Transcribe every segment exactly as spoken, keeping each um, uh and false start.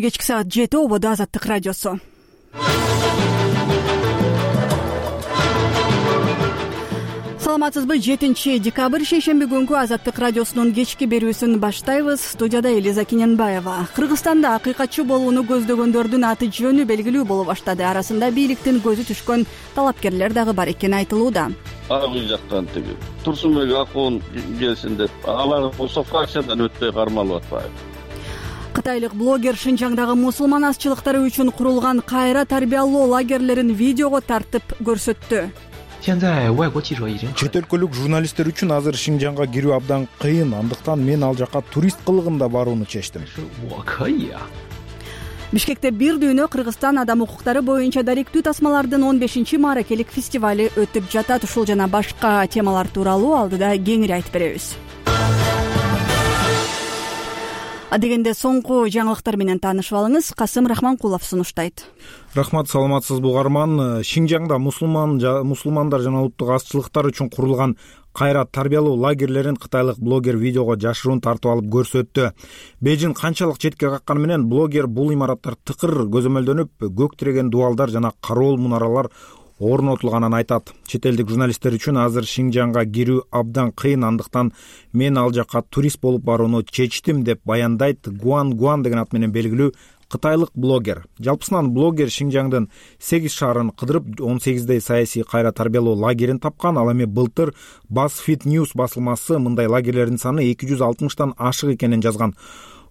кечки саат жети ободо Азаттык радиосу. Саламатсызбы? жетинчи декабрь шейшемби күнгү Азаттык радиосунун кечки берүүсүн баштайбыз. Студияда Элиза Киненбаева. Кыргызстанда акыйкатчы болууну көздөгөндөрдүн аты жөнү белгилүү боло баштады. Арасында бийликтин көзү түшкөн талапкерлер дагы бар экени айтылууда. Ар бир жактан тиги Турсунбек Акун келсин деп, алар болсо фракциядан өтпөй кармалып атпайбы. Кытайлык блогер Шинжаңдагы мусулман азчылыктары үчүн курулган кайра тарбиялоо лагерлерин видеого тартып көрсөттү. Чет өлкөлүк журналисттер үчүн азыр Шинжаңга кирүү абдан кыйын, андыктан мен ал жака турист кылыгында барууну чечтим. Бишкекте бир дүйнө Кыргызстан адам укуктары боюнча даректүү тасмалардын он бешинчи мааракелик фестивали өтүп жатат. Ушул жана башка темалар тууралуу алдыда кеңири айтып беребиз. Адегенде соңку жаңылыктар менен таанышып алыңыз. Касым Рахманкулов сунуштайт. Рахмат, саламатсызбы угарман. Шинжаңда мусулман мусулмандар жана улуттук азчылыктар үчүн курулган кайра тарбиялоо лагерлерин кытайлык блогер видеого жашыруун тартып алып көрсөттү. Бейжин канчалык четке какканы менен блогер бул имараттар тыкыр көзөмөлдөнүп, көк тиреген дубалдар жана кароол мунаралар орнотулганын айтат. Чет элдик журналисттер үчүн азыр Шинжаңга кирүү абдан кыйын, андыктан мен ал жака турист болуп барууну чечтим деп баяндайт Гуан Гуан деген ат менен белгилүү кытайлык блогер. Жалпысынан блогер Шинжаңдын сегиз шаарын кыдырып, он сегиздей саясий кайра тарбиялоо лагерин тапкан. Ал эми былтыр BuzzFeed News басылмасы мындай лагерлердин саны эки жүз алтымыштан ашык экенин жазган.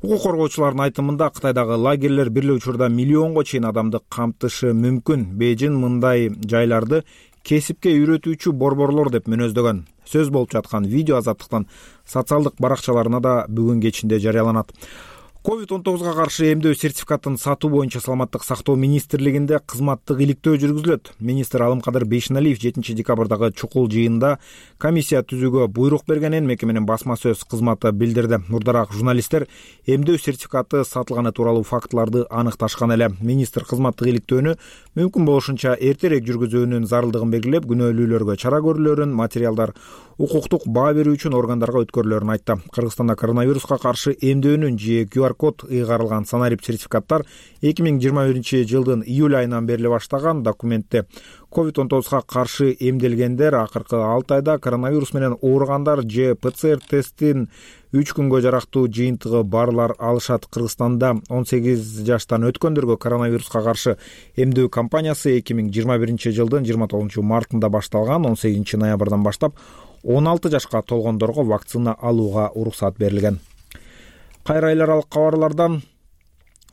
Укук коргоочулардын айтымында Кытайдагы лагерлер бир эле учурда миллионго чейин адамды камтышы мүмкүн. Бейжин мындай жайларды кесипке үйрөтүүчү борборлор деп мүнөздөгөн. Сөз болуп жаткан видео Азаттыктын социалдык баракчаларына да бүгүн кечинде жарыяланат. ковид он тогузга каршы эмдөө сертификатын сатуу боюнча Саламаттык сактоо министрлигинде кызматтык иликтөө жүргүзүлөт. Министр Алымкадыр Бейшеналиев жетинчи декабрдагы чукул жыйында комиссия түзүүгө буйрук бергенин мекеменин басма сөз кызматы билдирди. Мурдараак журналисттер эмдөө сертификаты сатылганы тууралуу фактыларды аныкташкан эле. Министр кызматтык иликтөөнү мүмкүн болушунча эртерээк жүргүзүүнүн зарылдыгын белгилеп, күнөөлүүлөргө чара көрүлөрүн, материалдар укуктук баа берүү үчүн органдарга өткөрүлөрүн айтты. Кыргызстанда коронавируска каршы эмдөөнүн же кью ар код ыйгарылган санарип сертификаттар эки миң жыйырма биринчи жылдын июль айынан бериле баштаган. Документте ковид он тогузга каршы эмделгендер, акыркы алты айда коронавирус менен ооругандар же пэ цэ эр тесттин үч күнгө жарактуу жыйынтыгы барлар алышат. Кыргызстанда он сегиз жаштан өткөндөргө коронавируска каршы эмдөө кампаниясы эки миң жыйырма биринчи жылдын жыйырма тогузунчу мартында башталган. он сегизинчи ноябрдан баштап он алты жашка толгондорго вакцина алууга уруксат берилген. Кайра эл аралык кабарлардан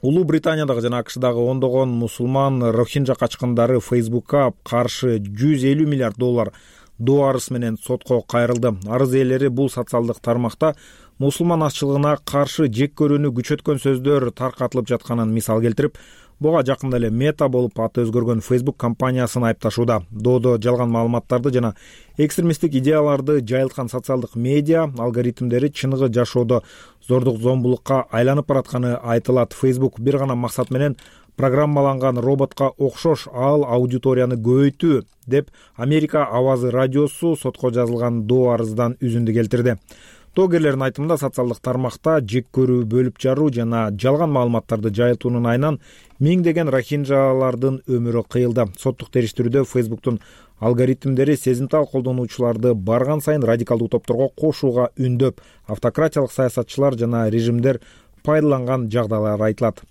Улуу Британиядагы жана АКШдагы ондогон мусулман рохинжа качкындары Фейсбукка каршы жүз элүү миллиард доллар доо арыз менен сотко кайрылды. Арыз ээлери бул социалдык тармакта мусулман азчылыгына каршы жек көрүүнү күчөткөн сөздөр таркатылып жатканын мисал келтирип, буга жакында эле Мета болуп аты өзгөргөн Facebook компаниясын айыпташууда. Доодо жалган маалыматтарды жана экстремисттик идеяларды жайылткан социалдык медиа алгоритмдери чыныгы жашоодо зордук зомбулукка айланып баратканы айтылат. Facebook бир гана максат менен программаланган роботко окшош ал аудиторияны көбөйтүү деп Америка Авазы радиосу сотко жазылган доо арыздан үзүндү келтирди. Доогерлердин айтымында социалдык тармакта жек көрүү, бөлүп жаруу жана жалган маалыматтарды жайылтуунун айынан миңдеген рохинжалардын өмүрү кыйылды. Соттук териштирүүдө Facebook'тун алгоритмдери сезимтал колдонуучуларды барган сайын радикалдуу топторго кошууга үндөп, автократиялык саясатчылар жана режимдер пайдаланган жагдайлар айтылат.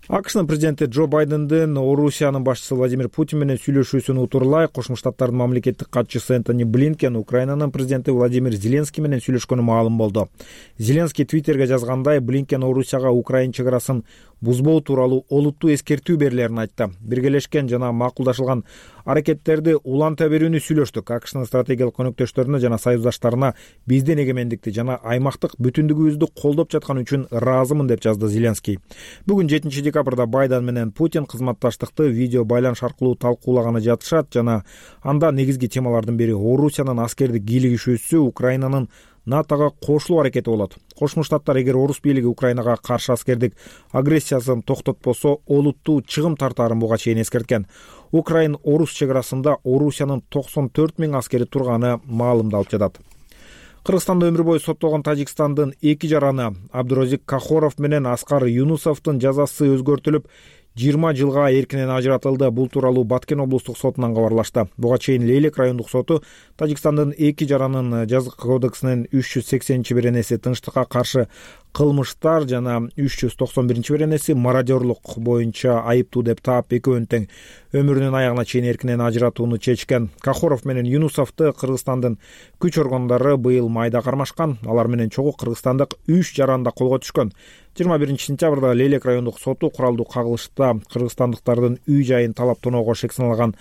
АКШнын президенти Джо Байдендин Орусиянын башчысы Владимир Путин менен сүйлөшүүсүн утурлай, Кошмо Штаттардын мамлекеттик катчысы Энтони Блинкен Украинанын президенти Владимир Зеленский менен сүйлөшкөнү маалым болду. Зеленский Твиттерге жазгандай, Блинкен Орусияга Украина чек арасын бузбоо тууралуу олуттуу эскертүү берилерин айтты. Биргелешкен жана макулдашылган аракеттерди уланта берүүнү сүйлөштүк. АКШнын стратегиялык өнөктөштөрүнө жана союздаштарына биздин эгемендикти жана аймактык бүтүндүгүбүздү колдоп жаткан үчүн ыраазымын деп жазды Зеленский. Бүгүн жетинчи декабрда Байден менен Путин кызматташтыкты видео байланыш аркылуу талкуулаганы жатышат жана анда негизги темалардын бири Орусиянын аскердик кийлигишүүсү, Украинанын НАТОго кошулуу аракети болот. Кошмо Штаттар эгер орус бийлиги Украинага каршы аскердик агрессиясын токтотпосо, олуттуу чыгым тартаарын буга чейин эскерткен. Украин-орус чек арасында Орусиянын токсон төрт миң аскери турганы маалымдалып жатат. Кыргызстанда өмүр бою соттолгон Тажикстандын эки жараны Абдурозик Кахоров менен Аскар Юнусовдун жазасы өзгөртүлүп, жыйырма жылга эркинен ажыратылды. Бул тууралуу Баткен облустук сотунан кабарлашты. Буга чейин Лейлек райондук соту Тажикстандын эки жаранын жаза кодексинин үч жүз сексенинчи беренеси тынчтыкка каршы кылмыштар жана үч жүз токсон биринчи беренеси мародерлук боюнча айыптуу деп таап, экөөнүн тең өмүрүнүн аягына чейин эркинен ажыратууну чечкен. Кахоров менен Юнусовду Кыргызстандын күч органдары быйыл майда кармашкан. Алар менен чогуу кыргызстандык үч жаран да колго түшкөн. жыйырма биринчи сентябрда Лейлек райондук соту куралдуу кагылышта кыргызстандыктардын үй жайын талап тоноого шек саналган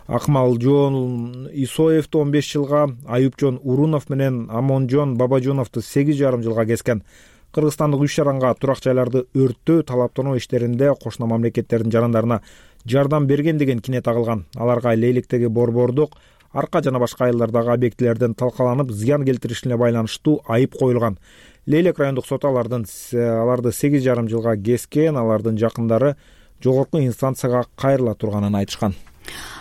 Акмалжон Исоевду он беш жылга, Аюпжон Урунов менен Амонжон Бабажоновду сегиз жарым жылга кескен. Кыргызстандык үч жаранга турак жайларды өрттөө, талаптануу иштеринде кошуна мамлекеттердин жарандарына жардам берген деген кине тагылган. Аларга Лейлектеги борбордук, арка жана башка айылдардагы объектилерден талкаланып зыян келтиришине байланыштуу айып коюлган. Лейлек райондук соту алардын аларды сегиз жарым жылга кескен. Алардын жакындары жогорку инстанцияга кайрыла турганын айтышкан.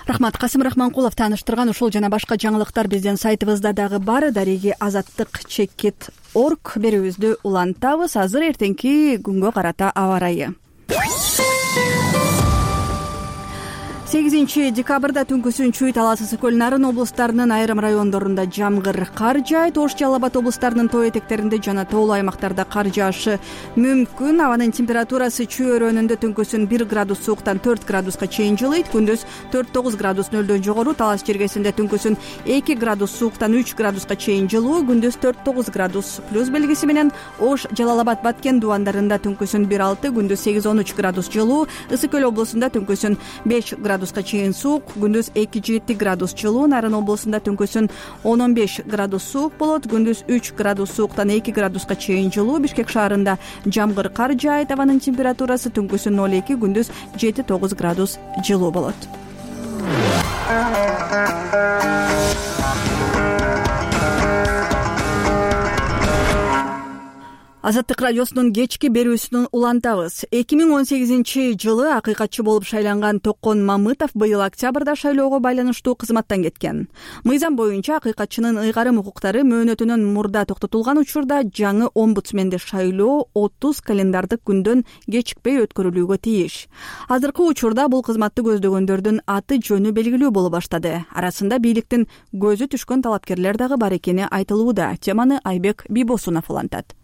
Рахмат. Касым Рахманкулов тааныштырган ушул жана башка жаңылыктар биздин сайтыбызда дагы бар. Дареги азаттык чекит орг берүүбүздү улантабыз. Азыр эртеңки күнгө карата аба ырайы. сегизинчи декабрда түнкүсүн Чүй, Талас, Ысык көл, Нарын облустарынын айрым райондорунда жамгыр, кар жаайт. Ош, Жалал Абад облустарынын тоо этектеринде жана тоолуу аймактарда кар жаашы мүмкүн. Абанын температурасы Чүй өрөөнүндө түнкүсүн бир градус сууктан төрт градуска чейин жылыйт. Күндүз төрт тогуз градус нөлдөн жогору. Талас жергесинде түнкүсүн эки градус сууктан үч градуска чейин жылуу. Күндүз төрт тогуз градус плюс белгиси менен. Ош, Жалал Абад, Баткен дубандарында түнкүсүн бир алты, күндүз сегиз он үч градус жылуу. Ысык көл облусунда түнкүсүн беш градус градуска чейин суук, күндүз эки жети градус жылуу. Нарын облусунда түнкүсүн он он беш градус суук болот, күндүз үч градус сууктан эки градуска чейин жылуу. Бишкек шаарында жамгыр, кар жаайт. Абанын температурасы түнкүсүн ноль эки, күндүз жети тогуз градус жылуу болот. Азаттык радиосунун кечки берүүсүн улантабыз. эки миң он сегизинчи жылы акыйкатчы болуп шайланган Токон Мамытов быйыл октябрда шайлоого байланыштуу кызматтан кеткен. Мыйзам боюнча акыйкатчынын ыйгарым укуктары мөөнөтүнөн мурда токтотулган учурда жаңы омбудсменди шайлоо отуз календардык күндөн кечикпей өткөрүлүүгө тийиш. Азыркы учурда бул кызматты көздөгөндөрдүн аты жөнү белгилүү боло баштады. Арасында бийликтин көзү түшкөн талапкерлер дагы бар экени айтылууда. Теманы Айбек Бибосунов улантат.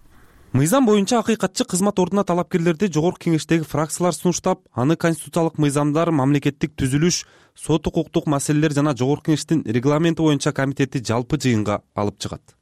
Мыйзам боюнча акыйкатчы кызмат ордуна талапкерлерди жогорку кеңештеги фракциялар сунуштап, аны конституциялык мыйзамдар, мамлекеттик түзүлүш, сот укуктук маселелер жана жогорку кеңештин регламенти боюнча комитети жалпы жыйынга алып чыгат.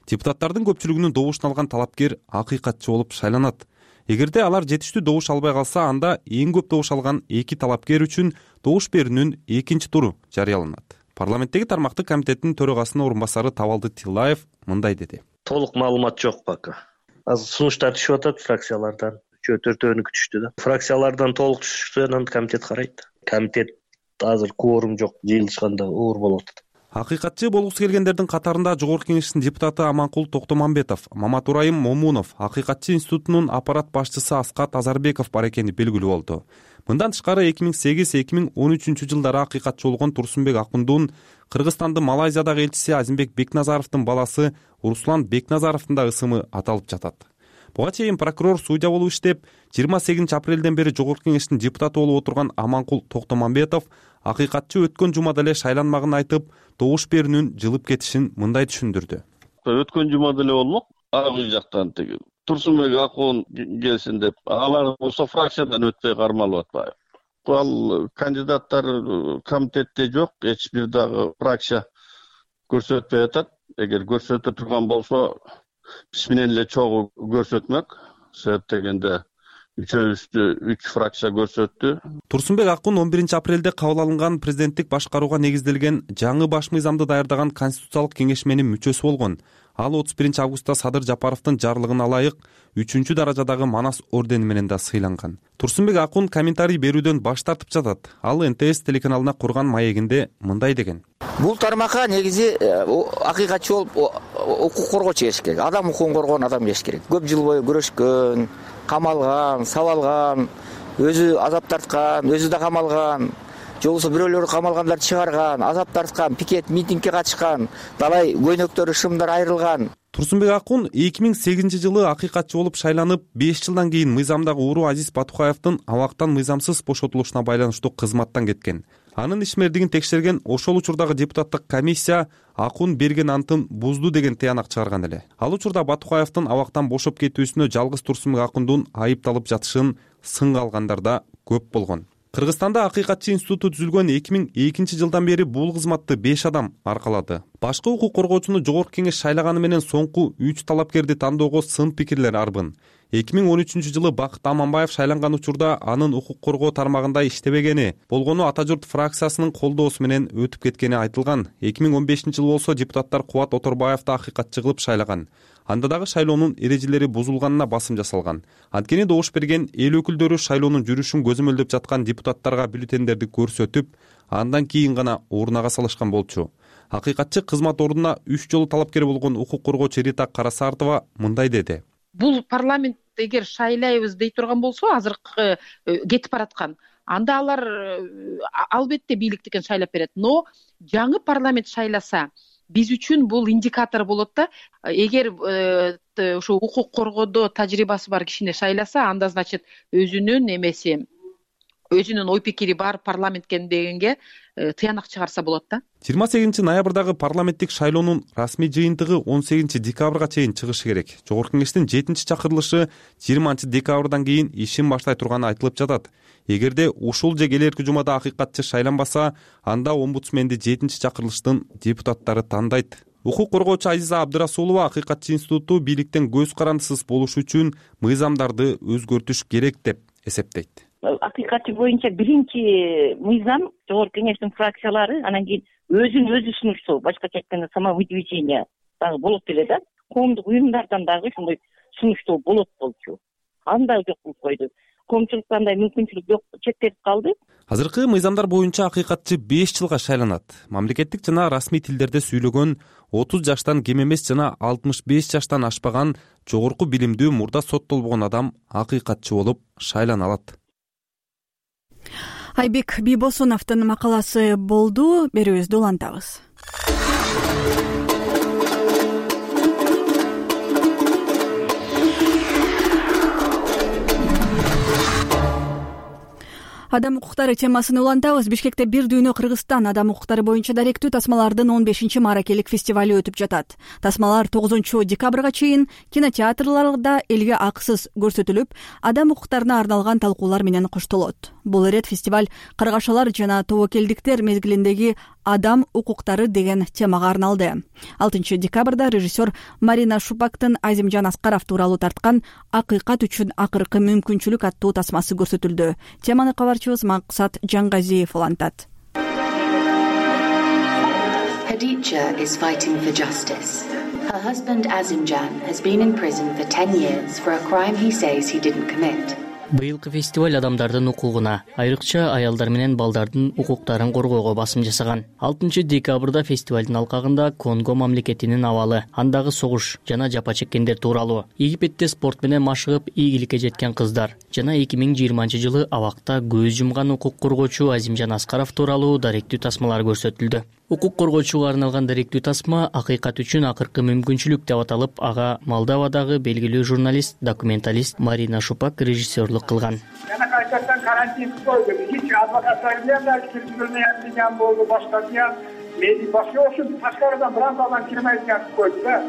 Депутаттардын көпчүлүгүнүн добушун алган талапкер акыйкатчы болуп шайланат. Эгерде алар жетиштүү добуш албай калса, анда эң көп добуш алган эки талапкер үчүн добуш берүүнүн экинчи туру жарыяланат. Парламенттеги тармактык комитеттин төрагасынын орун басары Табалды Тилаев мындай деди. Толук маалымат жок пока. Азыр сунуштар түшүп атат фракциялардан. Үчөө төртөөнү күтүштү да. Фракциялардан толук түшүштү, анан комитет карайт. Комитет азыр кворум жок, жыйылышканда оор болот. Акыйкатчы болгусу келгендердин катарында жогорку кеңештин депутаты Аманкул Токтомамбетов, Маматурайым Момунов, акыйкатчы институтунун аппарат башчысы Аскат Азарбеков бар экени белгилүү болду. Мындан тышкары эки миң сегиз эки миң он үчүнчү жылдары акыйкатчы болгон Турсунбек Акундун Кыргызстандын Малайзиядагы элчиси Азимбек Бекназаровдун баласы Руслан Бекназаровдун да ысымы аталып жатат. Буга чейин прокурор судья болуп иштеп, жыйырма сегизинчи апрелден бери жогорку кеңештин депутаты болуп отурган Аманкул Токтомамбетов акыйкатчы өткөн жумада эле шайланмагын айтып, добуш берүүнүн жылып кетишин мындай түшүндүрдү. Өткөн жумада эле болмок, ар жактан теги Турсунбек Акун келсин деп, алар болсо фракциядан өтпөй кармалып атпайбы. Ал кандидаттар комитетте жок, эч бир дагы фракция көрсөтпөй атат. Эгер көрсөтө турган болсо, биз менен эле чогуу көрсөтмөк. Себеп дегенде үчөөбүздү үч фракция көрсөттү. Турсунбек Акун он биринчи апрелде кабыл алынган президенттик башкарууга негизделген жаңы баш мыйзамды даярдаган конституциялык кеңешменин мүчөсү болгон. Ал отуз биринчи августта Садыр Жапаровдун жарлыгына ылайык үчүнчү даражадагы Манас ордени менен да сыйланган. Турсунбек Акун комментарий берүүдөн баш тартып жатат. Ал эн тэ эс телеканалына курган маегинде мындай деген. Бул тармакка негизи акыйкатчы болуп укук коргоочу келиш керек. Адам укугун коргоон адам келиш керек. Көп жыл бою күрөшкөн, камалган, сабалган, өзү азап тарткан, өзү да камалган, же болбосо бирөөлөрү камалгандарды чыгарган, азап тарткан, пикет, митингге катышкан, далай көйнөктөрү, шымдар айрылган. Турсунбек Акун эки миң сегизинчи жылы акыйкатчы болуп шайланып, беш жылдан кийин мыйзамдагы ууру Азиз Батукаевдин абактан мыйзамсыз бошотулушуна байланыштуу кызматтан кеткен. Анын ишмердигин текшерген ошол учурдагы депутаттык комиссия Акун берген антын бузду деген тыянак чыгарган эле. Ал учурда Батукаевдин абактан бошоп кетүүсүнө жалгыз Турсунбек Акундун айыпталып жатышын сынга алгандар да көп болгон. Кыргызстанда акыйкатчы институту түзүлгөн эки миң экинчи жылдан бери бул кызматты беш адам аркалады. Башкы укук коргоочуну жогорку кеңеш шайлаганы менен соңку үч талапкерди тандоого сын пикирлер арбын. эки миң он үчүнчү жылы Бакыт Аманбаев шайланган учурда анын укук коргоо тармагында иштебегени, болгону Ата журт фракциясынын колдоосу менен өтүп кеткени айтылган. эки миң он бешинчи жылы болсо депутаттар Кубат Оторбаевди акыйкатчы кылып шайлаган. Анда дагы шайлоонун эрежелери бузулганына басым жасалган. Анткени добуш берген эл өкүлдөрү шайлоонун жүрүшүн көзөмөлдөп жаткан депутаттарга бюллетендерди көрсөтүп, андан кийин гана урнага салышкан болчу. Акыйкатчы кызмат ордуна үч жолу талапкер болгон укук коргоочу Рита Карасартова мындай деди. Бул парламент эгер шайлайбыз дей турган болсо, азыркы кетип бараткан, анда алар албетте бийликтикен шайлап берет. Но жаңы парламент шайласа, биз үчүн бул индикатор болот да. Эгер ошо укук коргоодо тажрыйбасы бар кишини шайласа, анда значит өзүнүн эмеси, өзүнүн ой пикири бар парламент экен дегенге тыянак чыгарса болот да. жыйырма сегизинчи ноябрдагы парламенттик шайлоонун расмий жыйынтыгы он сегизинчи декабрга чейин чыгышы керек. Жогорку кеңештин жетинчи чакырылышы жыйырманчы декабрдан кийин ишин баштай турганы айтылып жатат. Эгерде ушул же келерки жумада акыйкатчы шайланбаса, анда омбудсменди жетинчи чакырылыштын депутаттары тандайт. Укук коргоочу Азиза Абдырасулова акыйкатчы институту бийликтен көз карандысыз болуш үчүн мыйзамдарды өзгөртүш керек деп эсептейт. Акыйкатчы боюнча биринчи мыйзам жогорку кеңештин фракциялары, анан кийин өзүн өзү сунуштоо, башкача айтканда самовыдвижение дагы болот эле да. Коомдук уюмдардан дагы ушундай сунуштоо болот болчу. Анда жок кылып койду. Коомчулукта андай мүмкүнчүлүк жок, чектелип калды. Азыркы мыйзамдар боюнча акыйкатчы беш жылга шайланат. Мамлекеттик жана расмий тилдерде сүйлөгөн, отуз жаштан кем эмес жана алтымыш беш жаштан ашпаган жогорку билимдүү мурда соттолбогон адам акыйкатчы болуп шайлана алат. Айбек Бийбосуновдун макаласы болду. Берүүбүздү улантабыз. Адам укуктары темасын улантабыз. Бишкекте бир дүйнө Кыргызстан адам укуктары боюнча даректүү тасмалардын он бешинчи мааракелик фестивалю өтүп жатат. Тасмалар тогузунчу декабрга чейин кинотеатрларда элге акысыз көрсөтүлүп, адам укуктарына арналган талкуулар менен коштолот. Бул ирет фестиваль каргашалар жана тобокелдиктер мезгилиндеги адам укуктары деген темага арналды. алтынчы декабрда режиссер Марина Шупактын Азимжан Аскаров тууралуу тарткан «Акыйкат үчүн акыркы мүмкүнчүлүк» аттуу тасмасы көрсөтүлдү. Теманы кабарчыбыз Максат Жангазиев улантат. Khadija is fighting for justice. Her husband Azimjan has been in prison for ten years for a crime he says he didn't commit. Быйылкы фестиваль адамдардын укугуна, айрыкча аялдар менен балдардын укуктарын коргоого басым жасаган. алтынчы декабрда фестивалдын алкагында Конго мамлекетинин абалы, андагы согуш жана жапа чеккендер тууралуу, Египетте спорт менен машыгып ийгиликке жеткен кыздар жана эки миң жыйырманчы жылы абакта көз жумган укук коргоочу Азимжан Аскаров тууралуу даректүү тасмалар көрсөтүлдү. Укук коргоочуга арналган даректүү тасма «Акыйкат үчүн акыркы мүмкүнчүлүк» деп аталып, ага Молдовадагы белгилүү журналист, документалист Марина Шупак режиссерлук кылган. Жана кайсыдан карантин койду. Hiç advokatlar bilen de kirpilmeyen diyen boldu, başka diyen. Medi başka olsun, taşkarıdan Fransa'dan kirmeyken koydu da.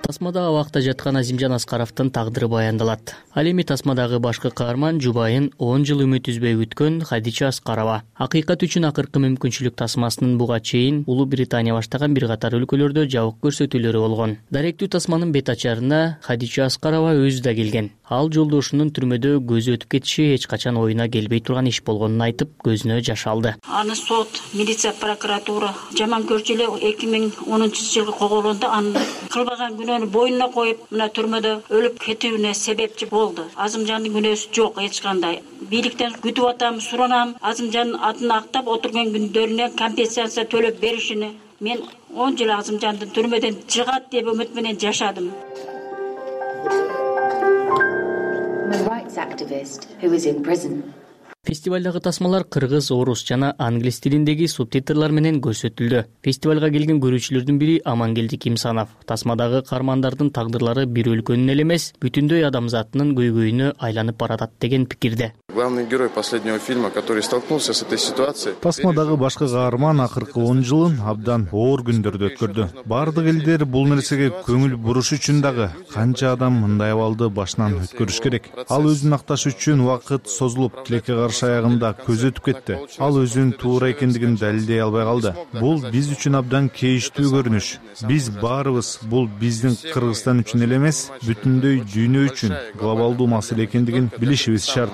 Тасмада абакта жаткан Азимжан Аскаровдун тагдыры баяндалат. Ал эми тасмадагы башкы каарман жубайын он жыл үмүт үзбөй күткөн Хадича Аскарова. Акыйкат үчүн акыркы мүмкүнчүлүк тасмасынын буга чейин Улуу Британия баштаган бир катар өлкөлөрдө жабык көрсөтүүлөрү болгон. Даректүү тасманын бет ачарына Хадича Аскарова өзү да келген. Ал жолдошунун түрмөдө көзү өтүп кетиши эч качан оюна келбей турган иш болгонун айтып, көзүнө жаш алды. Аны сот, милиция, прокуратура жаман көрчү эле эки миң онунчу жылы коголонду. Аны кылбаган күнөөнү боюна коюп, мына түрмөдө өлүп кетүүнө себепчи болду. Азымжандын күнөөсү жок эч кандай. Бийликтен күтүп атам, суранам. Азымжандын атын актап отурган күндөрүнө компенсация төлөп беришини. Мен он жыл Азымжандын түрмөдөн чыгат деп үмүт менен жашадым. A rights activist who is in prison. Фестивалдагы тасмалар кыргыз, орус жана англис тилиндеги субтитрлар менен көрсөтүлдү. Фестивалга келген көрүүчүлөрдүн бири Амангелди Кимсанов тасмадагы каармандардын тагдырлары бир өлкөнүн эле эмес, бүтүндөй адамзатынын көйгөйүнө айланып баратат деген пикирде. Главный герой последнего фильма, который столкнулся с этой ситуацией. Тасмадагы башкы каарман акыркы он жылын абдан оор күндөрдү өткөрдү. Бардык элдер бул нерсеге көңүл буруш үчүн дагы канча адам мындай абалды башынан өткөрүш керек. Ал өзүн акташ үчүн убакыт созулуп, тилекке каршы аягында көз өтүп кетти. Ал өзүнүн туура экендигин далилдей албай калды. Бул биз үчүн абдан кейиштүү көрүнүш. Биз баарыбыз бул биздин Кыргызстан үчүн эле эмес, бүтүндөй дүйнө үчүн глобалдуу маселе экендигин билишибиз шарт.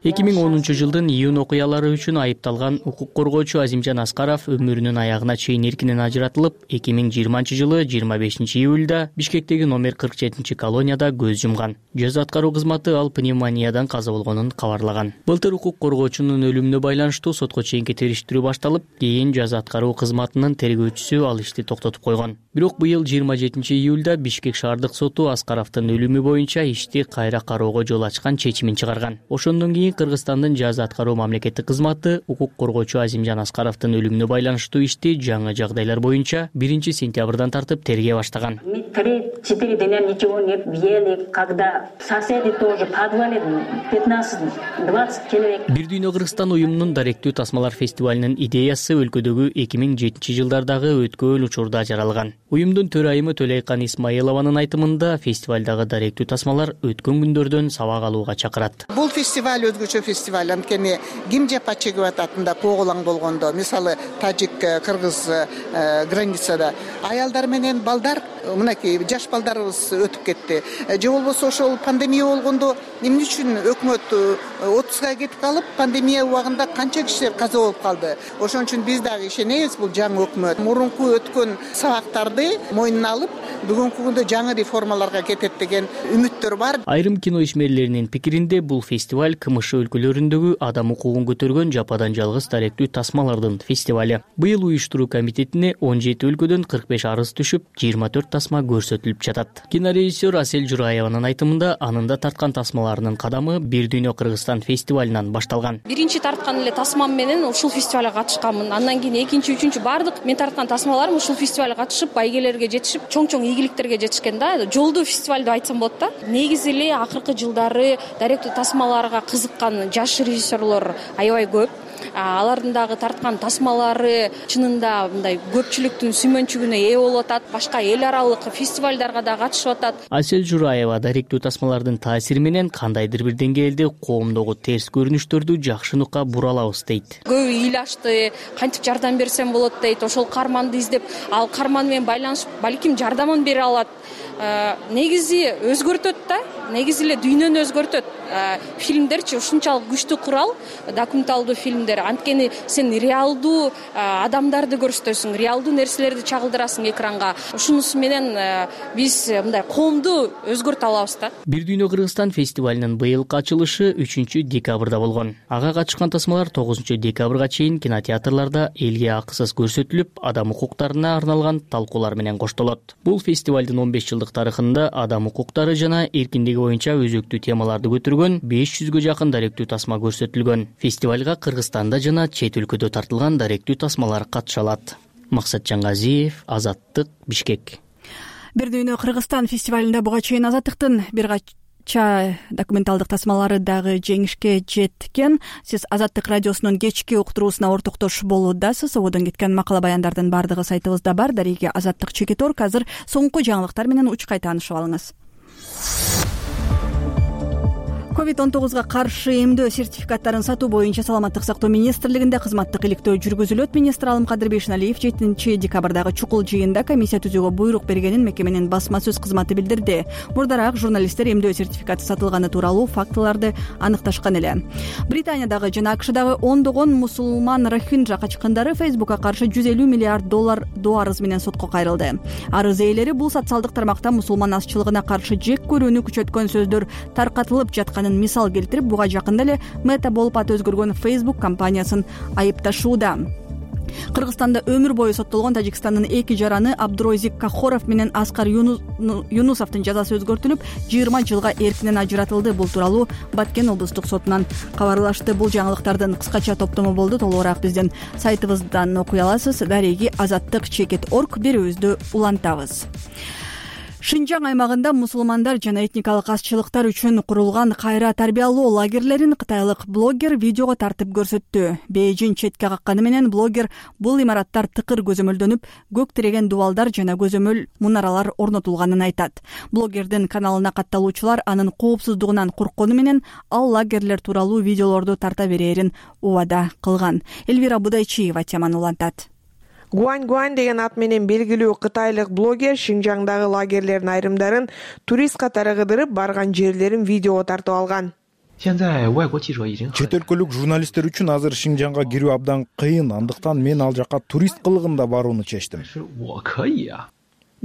эки миң онунчу жылдын июнь окуялары үчүн айыпталган укук коргоочу Азимжан Аскаров өмүрүнүн аягына чейин эркинен ажыратылып, эки миң жыйырманчы жылы жыйырма бешинчи июлда Бишкектеги номер кырк жетинчи колонияда көз жумган. Жаза аткаруу кызматы ал пневмониядан каза болгонун кабарлаган. Былтыр укук коргоочунун өлүмүнө байланыштуу сотко чейинки териштирүү башталып, кийин жаза аткаруу кызматынын тергөөчүсү ал ишти токтотуп койгон. Бирок быйыл жыйырма жетинчи июлда Бишкек шаардык соту Аскаровдун өлүмү боюнча ишти кайра кароого жол ачкан чечимин чыгарган. Ошондон кийин Кыргызстандын жаза аткаруу мамлекеттик кызматы укук коргоочу Азимжан Аскаровдун өлүмүнө байланыштуу ишти жаңы жагдайлар боюнча биринчи сентябрдан тартып тергей баштаган. три-четыре дня ничего не ели, когда соседи тоже в подвале пятнадцать-двадцать человек. Бир дүйнө Кыргызстан уюмунун даректүү тасмалар фестивалынын идеясы өлкөдөгү эки миң жетинчи жылдардагы өткөн учурда жаралган. Уюмдун төрайымы Төлөйкан Исмаилованын айтымында фестивалдагы даректүү тасмалар өткөн күндөрдөн сабак алууга чакырат. Бул фестиваль өзгөчө фестиваль, анткени ким жапа чегип ататында коголаң болгондо, мисалы тажик, кыргыз границада аялдар менен балдар, мынакей жаш балдарыбыз өтүп кетти. Же болбосо ошол пандемия болгондо эмне үчүн өкмөт отпускка кетип калып, пандемия убагында канча кишилер каза болуп калды. Ошон үчүн биз дагы ишенебиз, бул жаңы өкмөт мурунку өткөн сабактарды мойнуна алып, бүгүнкү күндө жаңы реформаларга кетет деген үмүттөр бар. Айрым кино ишмерлеринин пикиринде бул фестиваль КМШ өлкөлөрүндөгү адам укугун көтөргөн жападан жалгыз даректүү тасмалардын фестивале. Быйыл уюштуруу комитетине он жети өлкөдөн кырк беш арыз түшүп, жыйырма төрт тасма көрсөтүлүп жатат. Кинорежиссер Асель Жураеванын айтымында анында тарткан тасмаларынын кадамы Бир дүйнө Кыргызстан фестивалынан башталган. Биринчи тарткан эле тасмам менен ушул фестивалга катышканмын. Андан кийин экинчи, үчүнчү бардык мен тарткан тасмаларым ушул фестивалга катышып, байгелерге жетишип, чоң-чоң ийгиликтерге жетишкен да. Жолдуу фестиваль деп айтсам болот да. Негизи эле акыркы жылдары даректүү тасмаларга кызыккан жаш режиссерлор аябай көп. Алардын дагы тарткан тасмалары чынында мындай көпчүлүктүн сүймөнчүгүнө ээ болуп атат. Башка эл аралык фестивалдарга да катышып атат. Асель Жураева даректүү тасмалардын таасири менен кандайдыр бир деңгээлде коомдогу терс көрүнүштөрдү жакшы нукка бура алабыз дейт. Көбү ыйлашты, кантип жардам берсем болот дейт. Ошол каарманды издеп, ал каарман менен байланышып, балким жардамын бере алат. Негизи өзгөртөт да, негизи эле дүйнөнү өзгөртөт. Фильмдерчи ушунчалык күчтүү курал, документалдуу фильмдер. Анткени сен реалдуу адамдарды көрсөтөсүң, реалдуу нерселерди чагылдырасың экранга. Ушунусу менен биз мындай коомду өзгөртө алабыз да. Бир дүйнө Кыргызстан фестивалынын быйылкы ачылышы үчүнчү декабрда болгон. Ага катышкан тасмалар тогузунчу декабрга чейин кинотеатрларда элге акысыз көрсөтүлүп, адам укуктарына арналган талкуулар менен коштолот. Бул фестивалдын он беш жылдык тарыхында адам укуктары жана эркиндиги боюнча өзөктүү темаларды көтөргөн беш жүзгө жакын даректүү тасма көрсөтүлгөн. Фестивалга Кыргызстанда жана чет өлкөдө тартылган даректүү тасмалар катыша алат. Максат Жаңгазиев, Азаттык, Бишкек. Бир дүйнө Кыргызстан фестивалында буга чейин Азаттыктын бир кача документалдык тасмалары дагы жеңишке жеткен. Сиз Азаттык радиосунун кечки уктуруусуна ортоктош болуудасыз. Ободон кеткен макала баяндардын бардыгы сайтыбызда бар. Дареги Азаттык чекит орг. Азыр соңку жаңылыктар менен учкай таанышып алыңыз. ковид он тогузга каршы эмдөө сертификаттарын сатуу боюнча Саламаттык сактоо министрлигинде кызматтык иликтөө жүргүзүлөт. Министр Алымкадыр Бейшеналиев жетинчи декабрдагы чукул жыйында комиссия түзүүгө буйрук бергенин мекеменин басма сөз кызматы билдирди. Мурдараак журналисттер эмдөө сертификаты сатылганы тууралуу фактыларды аныкташкан эле. Британиядагы жана АКШдагы ондогон мусулман рохинджа качкындары Фейсбукка каршы жүз элүү миллиард доллар доо арыз менен сотко кайрылды. Арыз ээлери бул социалдык тармакта мусулман азчылыгына каршы жек көрүүнү күчөткөн сөздөр таркатылып жаткан мисал келтирип, буга жакында эле Мета болуп аты өзгөргөн Facebook компаниясын айыпташууда. Кыргызстанда өмүр бою соттолгон Тажикстандын эки жараны Абдурозик Кахоров менен Аскар Юнусовдун жазасы өзгөртүлүп, жыйырма жылга эркинен ажыратылды. Бул тууралуу Баткен облустук сотунан кабарлашты. Бул жаңылыктардын кыскача топтому болду. Толугураак биздин сайтыбыздан окуй аласыз. Дареги азаттык чекит орг берүүбүздү улантабыз. Шинжаң аймагында мусулмандар жана этникалык азчылыктар үчүн курулган кайра тарбиялоо лагерлерин кытайлык блогер видеого тартып көрсөттү. Бейжин четке какканы менен блогер бул имараттар тыкыр көзөмөлдөнүп, көк тиреген дубалдар жана көзөмөл мунаралар орнотулганын айтат. Блогердин каналына катталуучулар анын коопсуздугунан корккону менен ал лагерлер тууралуу видеолорду тарта берээрин убада кылган. Элвира Будайчиева теманы улантат. Гуань Гуань деген ат менен белгилүү кытайлык блогер Шинжаңдагы лагерлердин айрымдарын турист катары кыдырып барган жерлерин видеого тартып алган. Чет өлкөлүк журналисттер үчүн азыр Шинжаңга кирүү абдан кыйын, андыктан мен ал жака турист кылыгында барууну чечтим,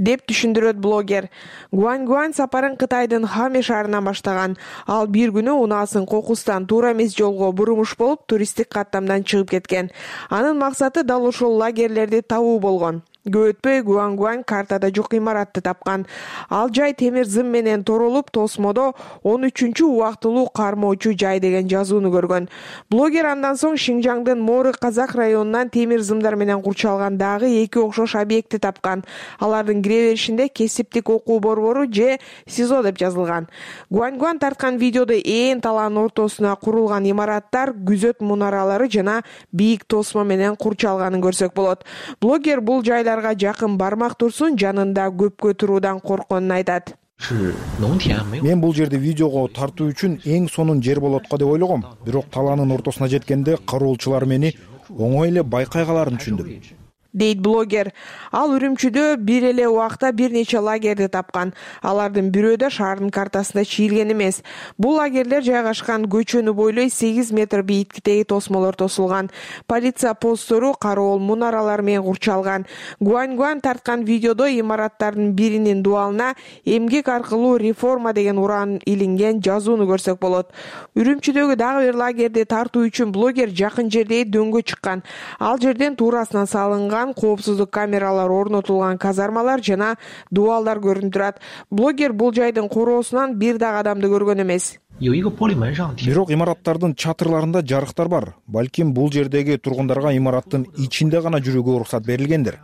деп түшүндүрөт блогер. Гуань Гуань сапарын Кытайдын Хаме шаарынан баштаган. Ал бир күнү унаасын кокустан туура эмес жолго бурумуш болуп, туристтик каттамдан чыгып кеткен. Анын максаты дал ошол лагерлерди табуу болгон. Көп өтпөй Гуань Гуань картада жок имаратты тапкан. Ал жай темир зым менен торолуп, тосмодо он үчүнчү убактылуу кармоочу жай деген жазууну көргөн. Блогер андан соң Шинжаңдын Моры Казак районунан темир зымдар менен курчалган дагы эки окшош объектти тапкан. Алардын кире беришинде кесиптик окуу борбору же СИЗО деп жазылган. Гуань Гуань тарткан видеодо ээн талаанын ортосуна курулган имараттар, күзөт мунаралары жана бийик тосмо менен курчалганын көрсөк болот. Блогер бул жайлар жакын бармак турсун, жанында көпкө туруудан коркконун айтат. Мен бул жерди видеого тартуу үчүн эң сонун жер болот го деп ойлогом. Бирок талаанын ортосуна жеткенде кароолчулар мени оңой эле байкай каларын түшүндүм, дейт блогер. Ал Үрүмчүдө бир эле убакта бир нече лагерди тапкан. Алардын бирөө да шаардын картасында чийилген эмес. Бул лагерлер жайгашкан көчөнү бойлой сегиз метр бийиктиктеги тосмолор тосулган. Полиция посттору, кароол мунаралар менен курчалган. Гуань Гуань тарткан видеодо имараттардын биринин дубалына эмгек аркылуу реформа деген уран илинген жазууну көрсөк болот. Үрүмчүдөгү дагы бир лагерди тартуу үчүн блогер жакын жердеги дөңгө чыккан. Ал жерден туурасынан салынган коопсуздук камералар орнотулган казармалар жана дубалдар көрүнүп турат. Блогер бул жайдын короосунан бир дагы адамды көргөн эмес. Бирок имараттардын чатырларында жарыктар бар. Балким бул жердеги тургундарга имараттын ичинде гана жүрүүгө уруксат берилгендир,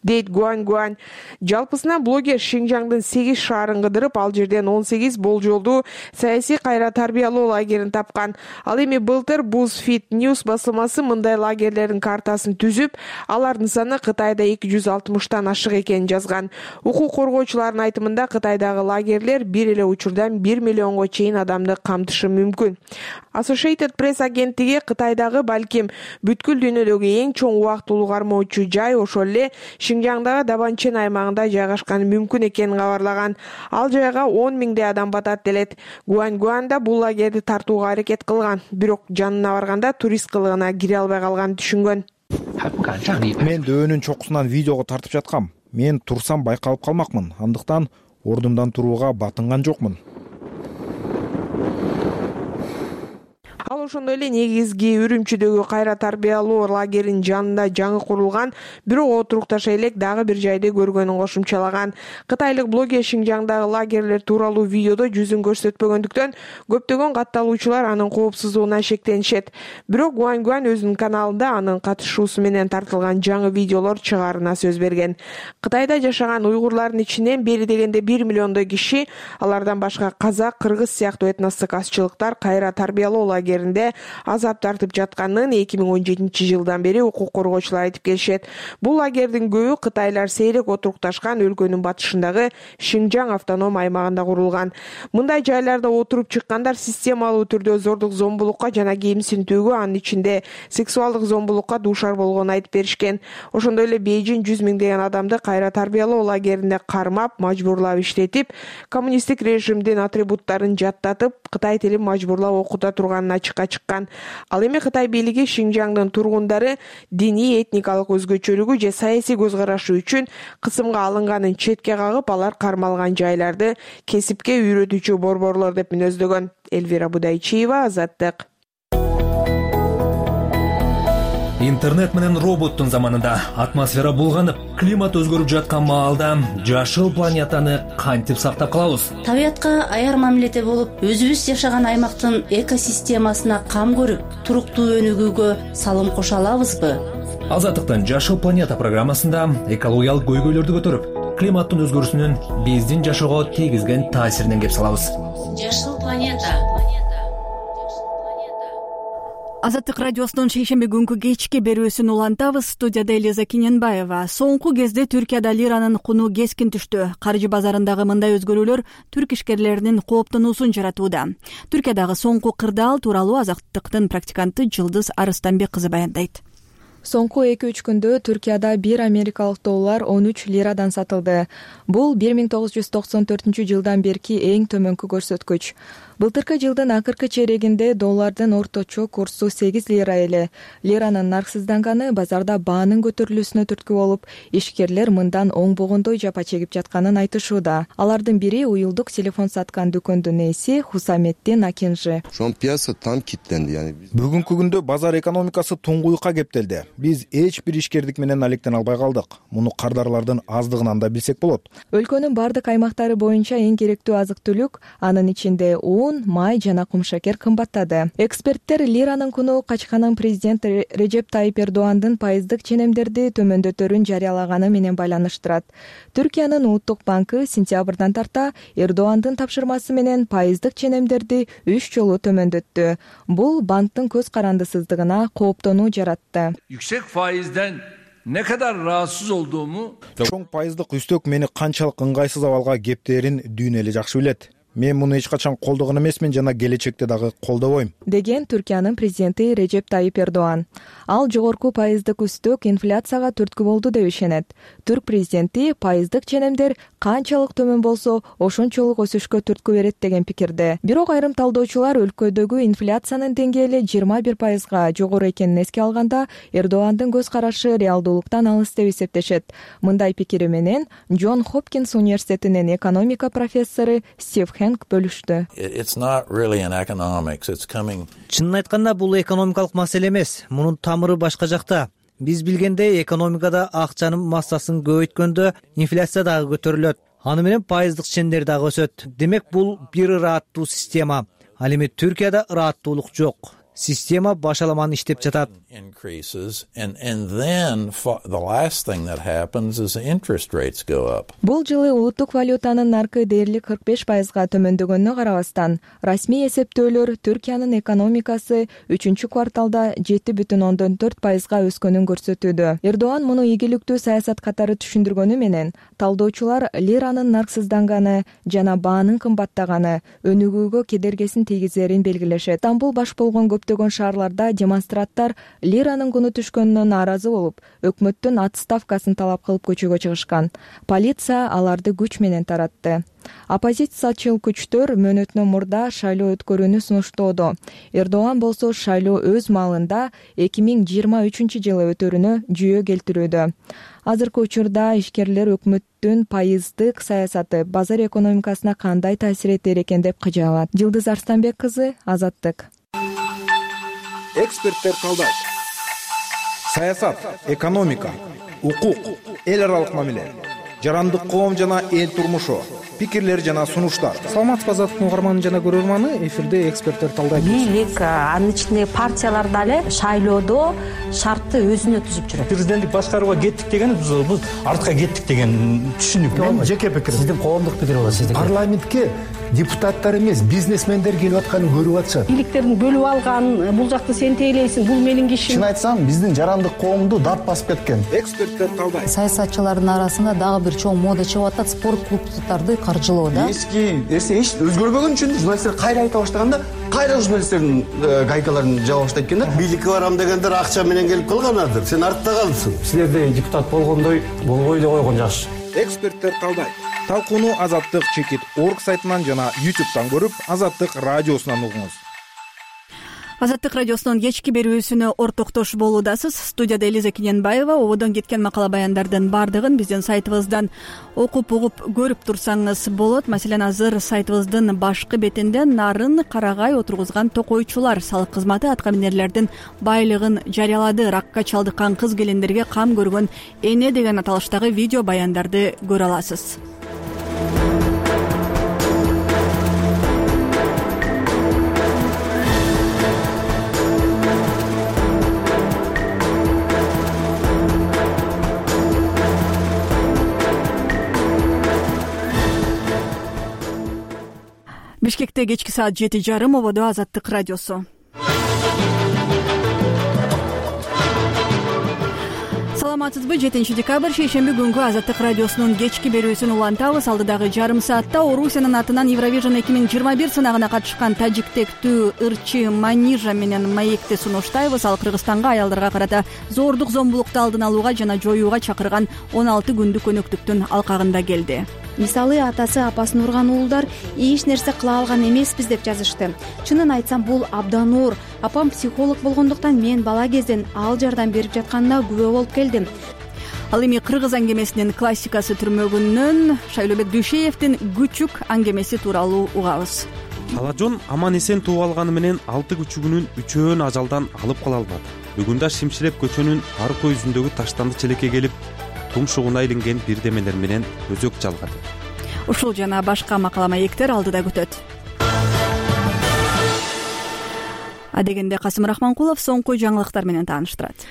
дейт Гуань Гуань. Жалпысынан блогер Шинжаңдын сегиз шаарын кыдырып, ал жерден он сегиз болжолдуу саясий кайра тарбиялоо лагерин тапкан. Ал эми былтыр BuzzFeed News басылмасы мындай лагерлердин картасын түзүп, алардын саны Кытайда эки жүз алтымыштан ашык экенин жазган. Укук коргоочулардын айтымында Кытайдагы лагерлер бир эле учурдан бир миллионго чейин адамды камтышы мүмкүн. Associated Press агенттиги Кытайдагы балким бүткүл дүйнөдөгү эң чоң убактылуу кармоочу жай ошол эле Шинжаңдагы Дабанчен аймагында жайгашканы мүмкүн экенин кабарлаган. Ал жайга он миңдей адам батат делет. Гуань Гуань да бул лагерди тартууга аракет кылган, бирок жанына барганда турист кылыгына кире албай калганын түшүнгөн. Мен дөөнүн чокусунан видеого тартып жаткам. Мен турсам байкалып калмакмын, андыктан ордумдан турууга батынган жокмун. Ал ошондой эле негизги Үрүмчүдөгү кайра тарбиялоо лагеринин жанында жаңы курулган, бирок отурукташа элек дагы бир жайды көргөнүн кошумчалаган. Кытайлык блогер Шинжаңдагы лагерлер тууралуу видеодо жүзүн көрсөтпөгөндүктөн көптөгөн катталуучулар анын коопсуздугуна шектенишет. Бирок Гуань Гуань өзүнүн каналында анын катышуусу менен тартылган жаңы видеолор чыгаарына сөз берген. Кытайда жашаган уйгурлардын ичинен бери дегенде бир миллиондой киши, алардан башка казак, кыргыз сыяктуу этностук азчылыктар кайра тарбиялоо лагеринде азап тартып жатканын эки миң он жетинчи жылдан бери укук коргоочулар айтып келишет. Бул лагердин көбү кытайлар сейрек отурукташкан өлкөнүн батышындагы Шинжаң автоном аймагында курулган. Мындай жайларда отуруп чыккандар системалуу түрдө зордук зомбулукка жана кемсинтүүгө, анын ичинде сексуалдык зомбулукка дуушар болгонун айтып беришкен. Ошондой эле Бейжин жүз миңдеген адамды кайра тарбиялоо лагеринде кармап, мажбурлап иштетип, коммунисттик режимдин атрибуттарын жаттатып, кытай тилин мажбурлап окута турганын ачыкка чыккан. Ал эми Кытай бийлиги Шинжаңдын тургундары диний, этникалык өзгөчөлүгү же саясий көз карашы үчүн кысымга алынганын четке кагып, алар кармалган жайларды кесипке үйрөтүүчү борборлор деп мүнөздөгөн. Элвира Будайчиева, Азаттык. Интернет менен роботтун заманында атмосфера булганып, климат өзгөрүп жаткан маалда жашыл планетаны кантип сактап калабыз? Табиятка аяр мамиледе болуп, өзүбүз жашаган аймактын экосистемасына кам көрүп, туруктуу өнүгүүгө салым кошо алабызбы? Азаттыктын Жашыл планета программасында экологиялык көйгөйлөрдү көтөрүп, климаттын өзгөрүүсүнүн биздин жашоого тийгизген таасиринен кеп салабыз. Жашыл планета. Азаттык радиосунун шейшемби күнкү кечки берүүсүн улантабыз. Студияда Элиза Киненбаева. Соңку кезде Түркияда лиранын куну кескин түштү. Каржы базарындагы мындай өзгөрүүлөр түрк ишкерлеринин кооптонуусун жаратууда. Түркиядагы соңку кырдаал тууралуу Азаттыктын практиканты Жылдыз Арыстанбек кызы баяндайт. Соңку эки-үч күндө Түркияда бир америкалык доллар он үч лирадан сатылды. Бул бир миң тогуз жүз токсон төртүнчү жылдан берки эң төмөнкү көрсөткүч. Былтыркы жылдын акыркы чейрегинде доллардын орточо курсу сегиз лира эле. Лиранын нарксызданганы базарда баанын көтөрүлүүсүнө түрткү болуп, ишкерлер мындан оңбогондой жапа чегип жатканын айтышууда. Алардын бири уюлдук телефон саткан дүкөндүн ээси Хусаметдин Акинжи. Бүгүнкү күндө базар экономикасы туңгуюкка кептелди. Биз эч бир ишкердик менен алектен албай калдык. Муну кардарлардын аздыгынан да билсек болот. Өлкөнүн бардык аймактары боюнча эң керектүү азык-түлүк, анын ичинде un, май жана кумшакер кымбаттады. Эксперттер лиранын куну качканын президент Режеп Тайип Эрдоандын пайыздык ченемдерди төмөндөтөрүн жарыялаганы менен байланыштырат. Түркиянын улуттук банкы сентябрдан тарта Эрдоандын тапшырмасы менен пайыздык ченемдерди үч жолу төмөндөттү. Бул банктын көз карандысыздыгына кооптонуу жаратты. Yüksek faizden ne kadar rahatsız olduğumu чоң пайыздык үстөк мени канчалык ыңгайсыз абалга кептерин дүйнө эле жакшы билет. Мен муну эч качан колдогон эмесмин жана келечекте дагы колдобойм, деген Түркиянын президенти Режеп Тайип Эрдоан. Ал жогорку пайыздык үстөк инфляцияга түрткү болду деп ишенет. Түрк президенти пайыздык ченемдер канчалык төмөн болсо, ошончолук өсүшкө түрткү берет деген пикирде. Бирок айрым талдоочулар өлкөдөгү инфляциянын деңгээли жыйырма бир пайызга жогору экенин эске алганда, Эрдоандын көз карашы реалдуулуктан алыс деп эсептешет. Мындай пикири менен Джон Хопкинс университетинин экономика профессору Стив Хэнк бөлүштү. Чынын айтканда, бул экономикалык маселе эмес. Мунун тамыры башка жакта. Биз билгендей, экономикада акчанын массасын көбөйткөндө инфляция дагы көтөрүлөт. Аны менен пайыздык чендер дагы өсөт. Демек, бул бир ырааттуу система. Ал эми Түркияда ырааттуулук жок. Система башаламан иштеп жатат. Бул жылы улуттук валютанын наркы дээрлик кырк беш пайызга төмөндөгөнүнө карабастан, расмий эсептөөлөр Түркиянын экономикасы үчүнчү кварталда жети бүтүн ондон төрт пайызга өскөнүн көрсөтүүдө. Эрдоан муну ийгиликтүү саясат катары түшүндүргөнү менен, талдоочулар лиранын нарксызданганы жана баанын кымбаттаганы өнүгүүгө кедергесин тийгизерин белгилешет. Стамбул баш болгон көптөгөн шаарларда демонстранттар лиранын куну түшкөнүнө нааразы болуп, өкмөттүн отставкасын талап кылып көчөгө чыгышкан. Полиция аларды күч менен таратты. Оппозициячыл күчтөр мөөнөтүнөн мурда шайлоо өткөрүүнү сунуштоодо. Эрдоан болсо шайлоо өз маалында эки миң жыйырма үчүнчү жылы өтөрүнө жүйө келтирүүдө. Азыркы учурда ишкерлер өкмөттүн пайыздык саясаты базар экономикасына кандай таасир этер экен деп кыжаалат. Жылдыз Арыстанбек кызы, Азаттык. Эксперттер талдайт. Саясат, экономика, укук, эл аралык мамиле, жарандык коом жана эл турмушу, пикирлер жана сунуштар. Саламатсызбы Азаттыктын угарманы жана көрөрманы, эфирде эксперттер талдайт. Бийлик, анын ичинде партиялар дагы шайлоодо шартты өзүнө түзүп жүрөт. Президенттик башкарууга кеттик деген биз артка кеттик деген түшүнүк. Мен жеке пикирим. Сиздин коомдук пикир болот, сиздин. Парламентке депутаттар эмес, бизнесмендер келип атканын көрүп атышат. Бийликтердин бөлүп алган, бул жакты сен тейлейсиң, бул менин кишим. Чын айтсам, биздин жарандык коомду дат басып кеткен. Эксперттер талдайт. Саясатчылардын арасында дагы бир чоң мода чыгып атат, спорт клубдарды каржылоо да. Эски нерсе эч өзгөрбөгөн үчүн журналисттер кайра айта баштаганда, кайра журналисттердин гайкаларын жаба баштайт экен да. Бийликке барам дегендер акча менен келип калганадыр. Сен артта калдың. Силерде депутат болгондой болбой эле койгон жакшы. Эксперттер талдайт. Талкууну Азаттык чекит орг сайтынан жана ютубтан көрүп, Азаттык радиосунан угуңуз. Азаттык радиосунун кечки берүүсүнө ортоктош болуудасыз. Студияда Элиза Киненбаева. Ободон кеткен макала баяндардын баардыгын биздин сайтыбыздан окуп угуп көрүп турсаңыз болот. Маселен, азыр сайтыбыздын башкы бетинде нарын карагай отургузган токойчулар салык кызматы аткаминерлердин байлыгын жарыялады. Ракка чалдыккан кыз келиндерге кам көргөн эне деген аталыштагы видео баяндарды көрө аласыз. Бишкекте кечки саат жети жарым. Ободо Азаттык радиосу. Саламатсызбы? жетинчи декабрь шейшемби күнгү Азаттык радиосунун кечки берүүсүн улантабыз. Алдыдагы жарым саатта Орусиянын атынан Евровижн эки миң жыйырма бир сынагына катышкан тажиктектүү ырчы Манижа менен маекти сунуштайбыз. Ал Кыргызстанга аялдарга карата зордук зомбулукту алдын алууга жана жоюуга чакырган он алты күндүк өнөктүктүн алкагында келди. Мисалы, атасы апасын урган уулдар эч нерсе кыла алган эмеспиз деп жазышты. Чынын айтсам, бул абдан оор. Апам психолог болгондуктан мен бала кезден ал жардам берип жатканына күбө болуп келдим. Ал эми кыргыз аңгемесинин классикасы түрмөгүнөн Шайлообек Дүйшеевдин Күчүк аңгемеси тууралуу угабыз. Алажон аман эсен тууп алганы менен алты күчүгүнүн үчөөн ажалдан алып кала албады. Бүгүн да Шимширеп көчөнүн арка жүзүндөгү таштанды челекке келип, тумшугуна илинген бирдемелер менен өзөк жалгады. Ушул жана башка макала маектер алдыда күтөт. Адегенде Касым Рахманкулов соңку жаңылыктар менен тааныштырат.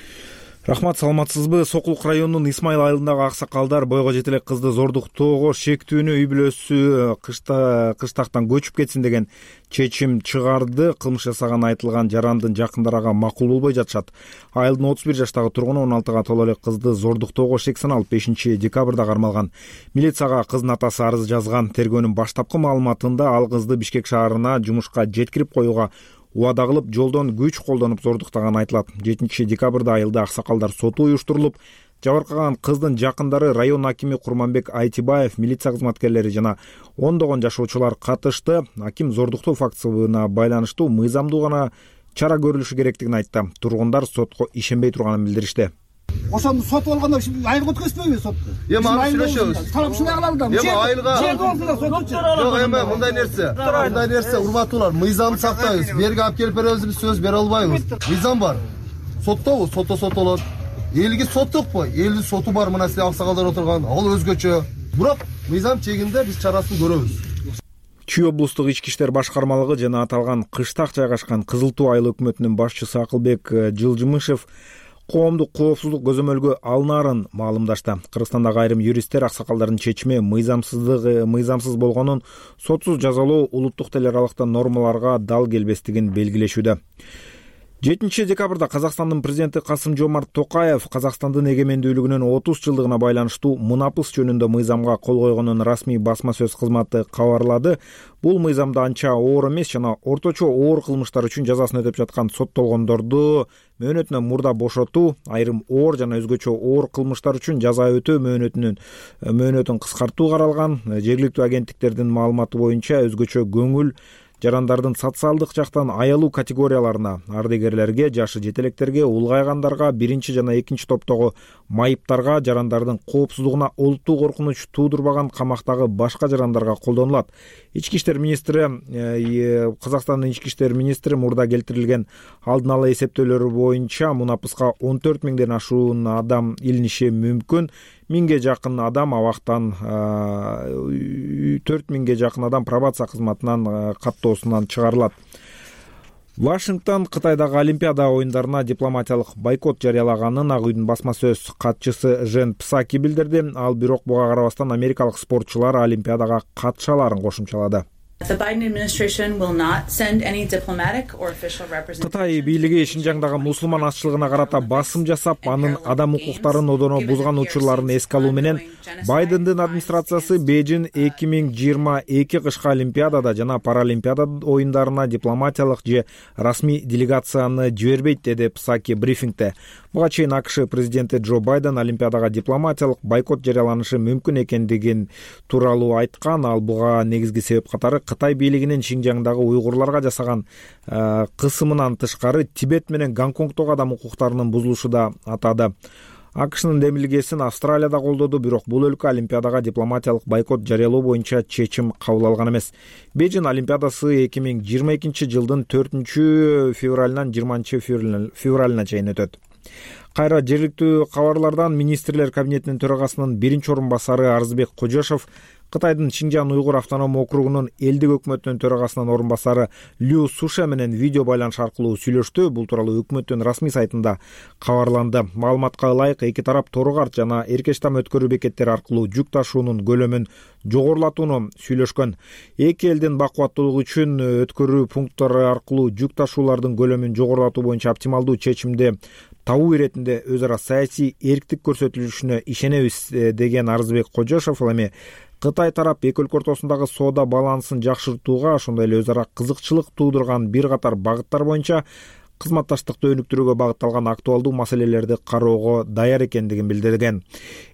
Рахмат, саламатсызбы? Сокулук районунун Исмайыл айылындагы аксакалдар бойго жете элек кызды зордуктоого шектүүнү үй бүлөсү кышта кыштактан көчүп кетсин деген чечим чыгарды. Кылмыш жасаганы айтылган жарандын жакындары ага макул болбой жатышат. Айылдын отуз бир жаштагы тургуну он алтыга толо элек кызды зордуктоого шек саналып бешинчи декабрда кармалган. Милицияга кыздын атасы арыз жазган. Тергөөнүн баштапкы маалыматында ал кызды Бишкек шаарына жумушка жеткирип коюуга убада кылып, жолдон күч колдонуп зордуктаганы айтылат. жетинчи декабрда айылда аксакалдар соту уюштурулуп, жабыркаган кыздын жакындары, район акими Курманбек Айтибаев, милиция кызматкерлери жана ондогон жашоочулар катышты. Аким зордуктоо фактысына байланыштуу мыйзамдуу гана чара көрүлүшү керектигин айтты. Тургундар сотко ишенбей турганын билдиришти. Ошону сотуп алганда айылга өткөзбөйбү соту? Эми аны сүрөшөбүз. Тарап ушундай кылалы да. Эми айылга жок, эми мындай нерсе, мындай нерсе урматтуулар, мыйзамды сактайбыз. Берге алып келип беребиз, биз сөз бере албайбыз. Мыйзам бар. Соттобу, сотто соттолот. Элге соттукпу? Элдин соту бар, мына силер аксакалдар отурган. Ал өзгөчө. Бирок мыйзам чегинде биз чарасын көрөбүз. Чүй облустук ички иштер башкармалыгы жана аталган кыштак жайгашкан Кызыл Туу айыл өкмөтүнүн башчысы Акылбек Жылжымышев коомдук коопсуздук көзөмөлгө алынаарын маалымдашты. Кыргызстандагы айрым юристтер аксакалдардын чечими мыйзамсыздыгы мыйзамсыз болгонун, сотсуз жазалоо улуттук тил аралыктагы нормаларга дал келбестигин белгилешүүдө. жетинчи декабрда Казакстандын президенти Касым Жомарт Токаев Казакстандын эгемендүүлүгүнүн отуз жылдыгына байланыштуу мунапыс жөнүндө мыйзамга кол койгонун расмий басма сөз кызматы кабарлады. Бул мыйзамда анча оор эмес жана орточо оор кылмыштар үчүн жазасын өтөп жаткан соттолгондорду мөөнөтүнөн мурда бошотуу, айрым оор жана өзгөчө оор кылмыштар үчүн жаза өтөө мөөнөтүнүн мөөнөтүн кыскартуу каралган. Жергиликтүү агенттиктердин маалыматы боюнча өзгөчө көңүл жарандардын социалдык жактан аялуу категорияларына, ардегерлерге, жашы жетелектерге, улгайгандарга, биринчи жана экинчи топтогу майыптарга, жарандардын коопсуздугуна олуттуу коркунуч туудурбаган камактагы башка жарандарга колдонулат. Ички иштер министри, Казакстандын ички иштер министри мурда келтирилген алдын ала эсептөөлөр боюнча мунапыска он төрт миңден ашуун адам илиниши мүмкүн. Миңге жакын адам абактан, төрт миңге жакын адам пробация кызматынан каттоосунан чыгарылат. Вашингтон Кытайдагы Олимпиада оюндарына дипломатиялык бойкот жарыялаганын Ак үйдүн басма сөз катчысы Жен Псаки билдирди. Ал бирок буга карабастан америкалык спортчулар Олимпиадага катыша аларын кошумчалады. Кытай бийлиги Шинжаңдагы мусулман азчылыгына карата басым жасап, анын адам укуктарын одоно бузган учурларын эске алуу менен Байдендин администрациясы Бейжин эки миң жыйырма эки кышкы Олимпиадада жана Паралимпиада оюндарына дипломатиялык же расмий делегацияны жибербейт, деди Псаки брифингде. Буга чейин АКШ президенти Джо Байден Олимпиадага дипломатиялык бойкот жарыяланышы мүмкүн экендигин тууралуу айткан. Ал буга негизги себеп катары Кытай бийлигинин Шинжаңдагы уйгурларга жасаган кысымынан тышкары Тибет менен Гонконгдогу адам укуктарынын бузулушу да атады. АКШнын демилгесин Австралия да колдоду, бирок бул өлкө Олимпиадага дипломатиялык бойкот жарыялоо боюнча чечим кабыл алган эмес. Бейжин Олимпиадасы эки миң жыйырма экинчи жылдын төртүнчү февралынан жыйырманчы февралына чейин өтөт. Кайра жергиликтүү кабарлардан министрлер кабинетинин төрагасынын биринчи орун басары Арзбек Кожошов Кытайдын Шинжан уйгур автоном округунун элдик өкмөтүнүн төрагасынын орун басары Лю Суша менен видео байланыш аркылуу сүйлөштү. Бул тууралуу өкмөттүн расмий сайтында кабарланды. Маалыматка ылайык, эки тарап Тору-Карт жана Эркештам өткөрүү бекеттери аркылуу жүк ташуунун көлөмүн жогорулатууну сүйлөшкөн. Эки элдин бакубаттуулугу үчүн өткөрүү пункттары аркылуу жүк ташуулардын көлөмүн жогорулатуу боюнча оптималдуу чечимди табуу иретинде өз ара саясий эрктик көрсөтүлүшүнө ишенебиз деген Арзбек Кожошов ал эми Кытай тарап эки өлкө ортосундагы соода балансын жакшыртууга, ошондой эле өз ара кызыкчылык туудурган бир катар багыттар боюнча кызматташтыкты өнүктүрүүгө багытталган актуалдуу маселелерди кароого даяр экендигин билдирген.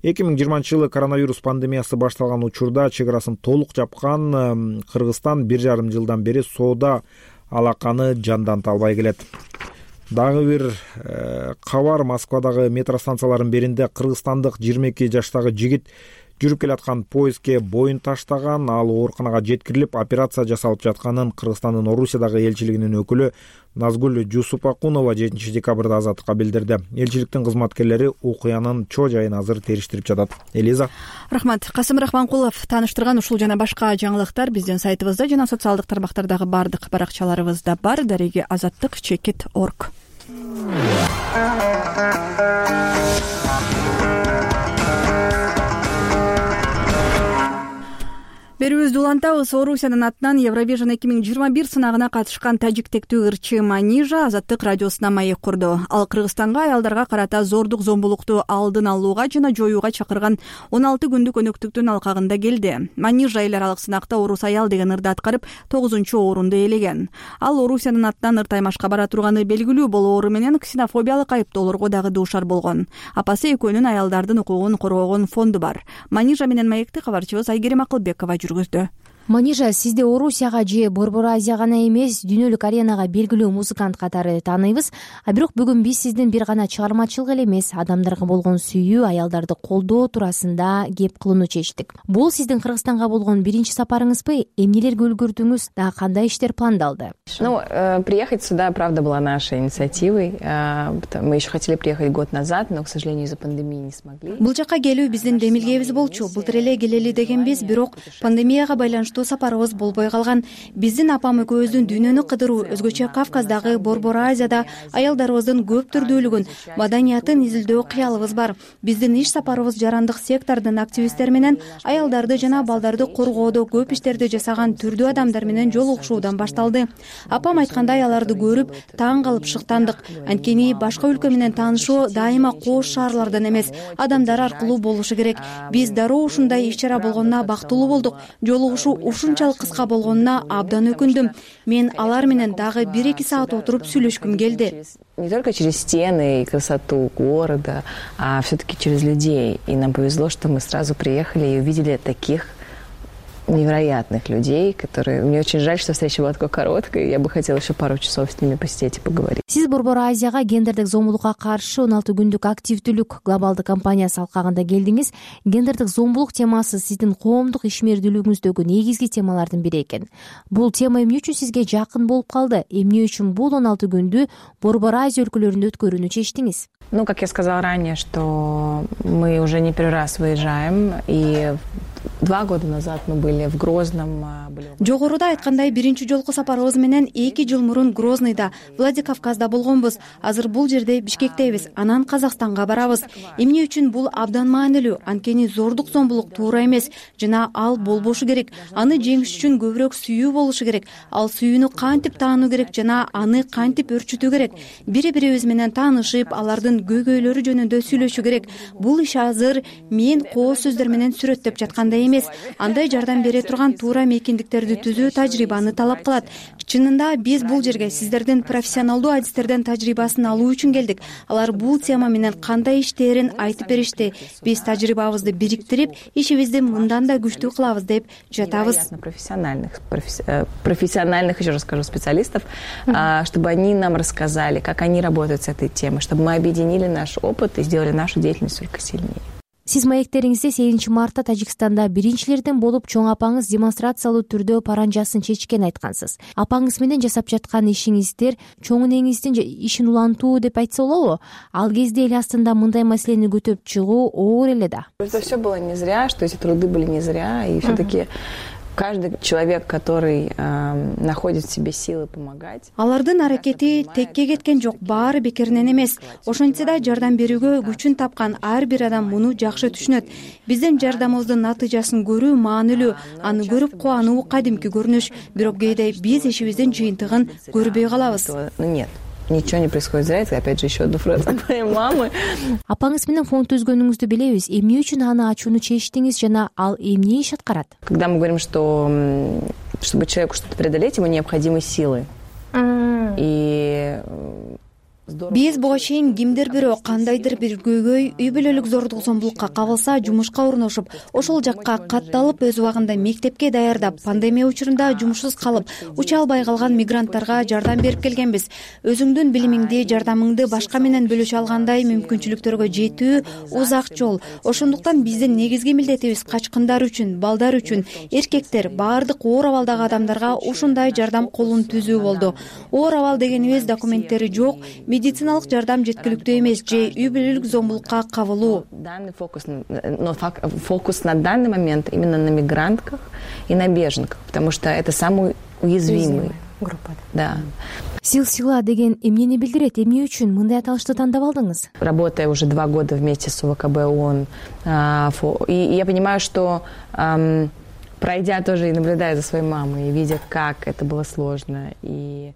эки миң жыйырманчы жылы коронавирус пандемиясы башталган учурда чек арасын толук жапкан Кыргызстан бир жарым жылдан бери соода алаканы жанданта албай келет. Дагы бир кабар, Москвадагы метро станцияларынын биринде кыргызстандык жыйырма эки жаштагы жигит жүрүп келаткан поездге боюн таштаган. Ал ооруканага жеткирилип, операция жасалып жатканын Кыргызстандын Орусиядагы элчилигинин өкүлү Назгүл Жусупакунова жетинчи декабрда Азаттыкка билдирди. Элчиликтин кызматкерлери окуянын чоо жайын азыр териштирип жатат. Элиза. Рахмат. Касым Рахманкулов таныштырган ушул жана башка жаңылыктар биздин сайтыбызда жана социалдык тармактардагы бардык баракчаларыбызда бар. Дареги азаттык чекит точка орг. Берүүбүздү улантабыз. Орусиянын атынан Евровижн эки миң жыйырма бир сынагына катышкан тажиктектүү ырчы Манижа Азаттык радиосуна маек курду. Ал Кыргызстанга аялдарга карата зордук зомбулукту алдын алууга жана жоюуга чакырган он алты күндүк өнөктүктүн алкагында келди. Манижа эл аралык сынакта орус аял деген ырды аткарып тогузунчу орунду ээлеген. Ал Орусиянын атынан ыр таймашка бара турганы белгилүү болоору менен ксенофобиялык айыптоолорго дагы дуушар болгон. Апасы экөөнүн аялдардын укугун коргогон фонду бар. Манижа менен маекти кабарчыбыз Айгерим Акылбекова жүргүздү. Манижа, сизди Орусияга же Борбор Азия гана эмес, дүйнөлүк аренага белгилүү музыкант катары тааныйбыз. А бирок бүгүн биз сиздин бир гана чыгармачылык эле эмес, адамдарга болгон сүйүү, аялдарды колдоо туурасында кеп кылууну чечтик. Бул сиздин Кыргызстанга болгон биринчи сапарыңызбы? Эмнелерге үлгүрдүңүз? Да кандай иштер пландалды? Ну, приехать сюда, правда, была нашей инициативой. Мы еще хотели приехать год назад, но, к сожалению, из-за пандемии не смогли. Бул жака келүү биздин демилгебиз болчу. Былтыр эле келели дегенбиз, бирок пандемияга байланыштуу сапарыбыз болбой калган. Биздин апам экөөбүздүн дүйнөнү кыдыруу, өзгөчө Кавказдагы Борбор Азияда аялдарыбыздын көп түрдүүлүгүн, маданиятын изилдөө кыялыбыз бар. Биздин иш сапарыбыз жарандык сектордун активисттери менен аялдарды жана балдарды коргоодо көп иштерди жасаган түрдүү адамдар менен жолугушуудан башталды. Апам айткандай, аларды көрүп таң калып шыктандык. Анткени башка өлкө менен таанышуу дайыма кооз шаарлардан эмес, адамдар аркылуу болушу керек. Биз дароо ушундай иш-чара болгонуна бактылуу болдук. Жолугушуу ушунчалык кыска болгонуна абдан өкүндүм. Мен алар менен дагы бир-эки саат отуруп сүйлөшкүм келди. Не только через стены и красоту города, а все-таки через людей. И нам повезло, что мы сразу приехали и увидели таких невероятных людей, которые... Мне очень жаль, что встреча была такой короткой. Я бы хотела еще пару часов с ними посидеть и поговорить. Сиз Борбор Азияга гендердик зомбулукка каршы он алты күндүк активдүүлүк глобалдык кампаниясы алкагында келдиңиз. Гендердик зомбулук темасы сиздин коомдук ишмердүүлүгүңүздөгү негизги темалардын бири экен. Бул тема эмне үчүн сизге жакын болуп калды? Эмне үчүн бул он алты күндү Борбор Азия өлкөлөрүндө өткөрүүнү чечтиңиз? Ну, как я сказала ранее, что мы уже не первый раз выезжаем, и два года назад мы были в Грозном. Жогоруда айткандай, биринчи жолку сапарыбыз менен эки жыл мурун Грозныйда, Владикавказда болгонбуз. Азыр бул жерде Бишкектебиз, анан Казакстанга барабыз. Эмне үчүн бул абдан маанилүү? Анткени зордук зомбулук туура эмес, жана ал болбошу керек. Аны жеңиш үчүн көбүрөөк сүйүү болушу керек. Ал сүйүүнү кантип таануу керек жана аны кантип өрчүтүү керек? Бири-бирибиз менен таанышып, алардын көйгөйлөрү жөнүндө сүйлөшүү керек. Бул иш азыр мен кооз сөздөр менен сүрөттөп жаткандай эмес. эмес. Андай жардам бере турган туура мейкиндиктерди түзүү тажрыйбаны талап кылат. Чынында биз бул жерге сиздердин профессионалдуу адистерден тажрыйбасын алуу үчүн келдик. Алар бул тема менен кандай иштээрин айтып беришти. Биз тажрыйбабызды бириктирип, ишибизди мындан да күчтүү кылабыз деп жатабыз. Профессиональных, профессиональных, еще раз скажу, специалистов, чтобы они нам рассказали, как они работают с этой темой, чтобы мы объединили наш опыт и сделали нашу деятельность только сильнее. Сиз маектериңизде сегизинчи мартта Тажикстанда биринчилерден болуп чоң апаңыз демонстрациялуу түрдө паранжасын чечкенин айткансыз. Апаңыз менен жасап жаткан ишиңиздер чоң энеңиздин ишин улантуу деп айтса болобу? Ал кезде эл астында мындай маселени көтөрүп чыгуу оор эле да. Это все было не зря, что эти труды были не зря, и все-таки каждый человек, который э, находит в себе силы помогать. Алардын аракети текке кеткен жок, баары бекеринен эмес. Ошентсе да жардам берүүгө күчүн тапкан ар бир адам муну жакшы түшүнөт. Биздин жардамыбыздын натыйжасын көрүү маанилүү, аны көрүп кубануу кадимки көрүнүш. Бирок кээде биз ишибиздин жыйынтыгын көрбөй калабыз. Нет. Ничего не происходит зря. Это опять же еще одна фраза моей мамы. Апаңыз менен фонд түзгөнүңүздү билебиз. Эмне үчүн аны ачууну чечтиңиз жана ал эмне иш аткарат? Когда мы говорим, что чтобы человеку что-то преодолеть, ему необходимы силы. И биз буга чейин кимдир бирөө кандайдыр бир көйгөй, үй бүлөлүк зордук зомбулукка кабылса, жумушка орношуп, ошол жакка катталып, өз убагында мектепке даярдап, пандемия учурунда жумушсуз калып, уча албай калган мигранттарга жардам берип келгенбиз. Өзүңдүн билимиңди, жардамыңды башка менен бөлүшө алгандай мүмкүнчүлүктөргө жетүү узак жол. Ошондуктан биздин негизги милдетибиз качкындар үчүн, балдар үчүн, эркектер, баардык оор абалдагы адамдарга ушундай жардам колун түзүү болду. Оор абал дегенибиз документтери жок, медициналык жардам жеткиликтүү эмес же үй бүлөлүк зомбулукка кабылуу. Данный фокус, но фокус на данный момент именно на мигрантках и на беженках, потому что это самый уязвимый группа. Да. Сил-сила деген эмнени билдирет? Эмне үчүн мындай аталышты тандап алдыңыз? Работая уже два года вместе с ОВКБ ООН, и я понимаю, что пройдя тоже и наблюдая за своей мамой, и видя, как это было сложно, и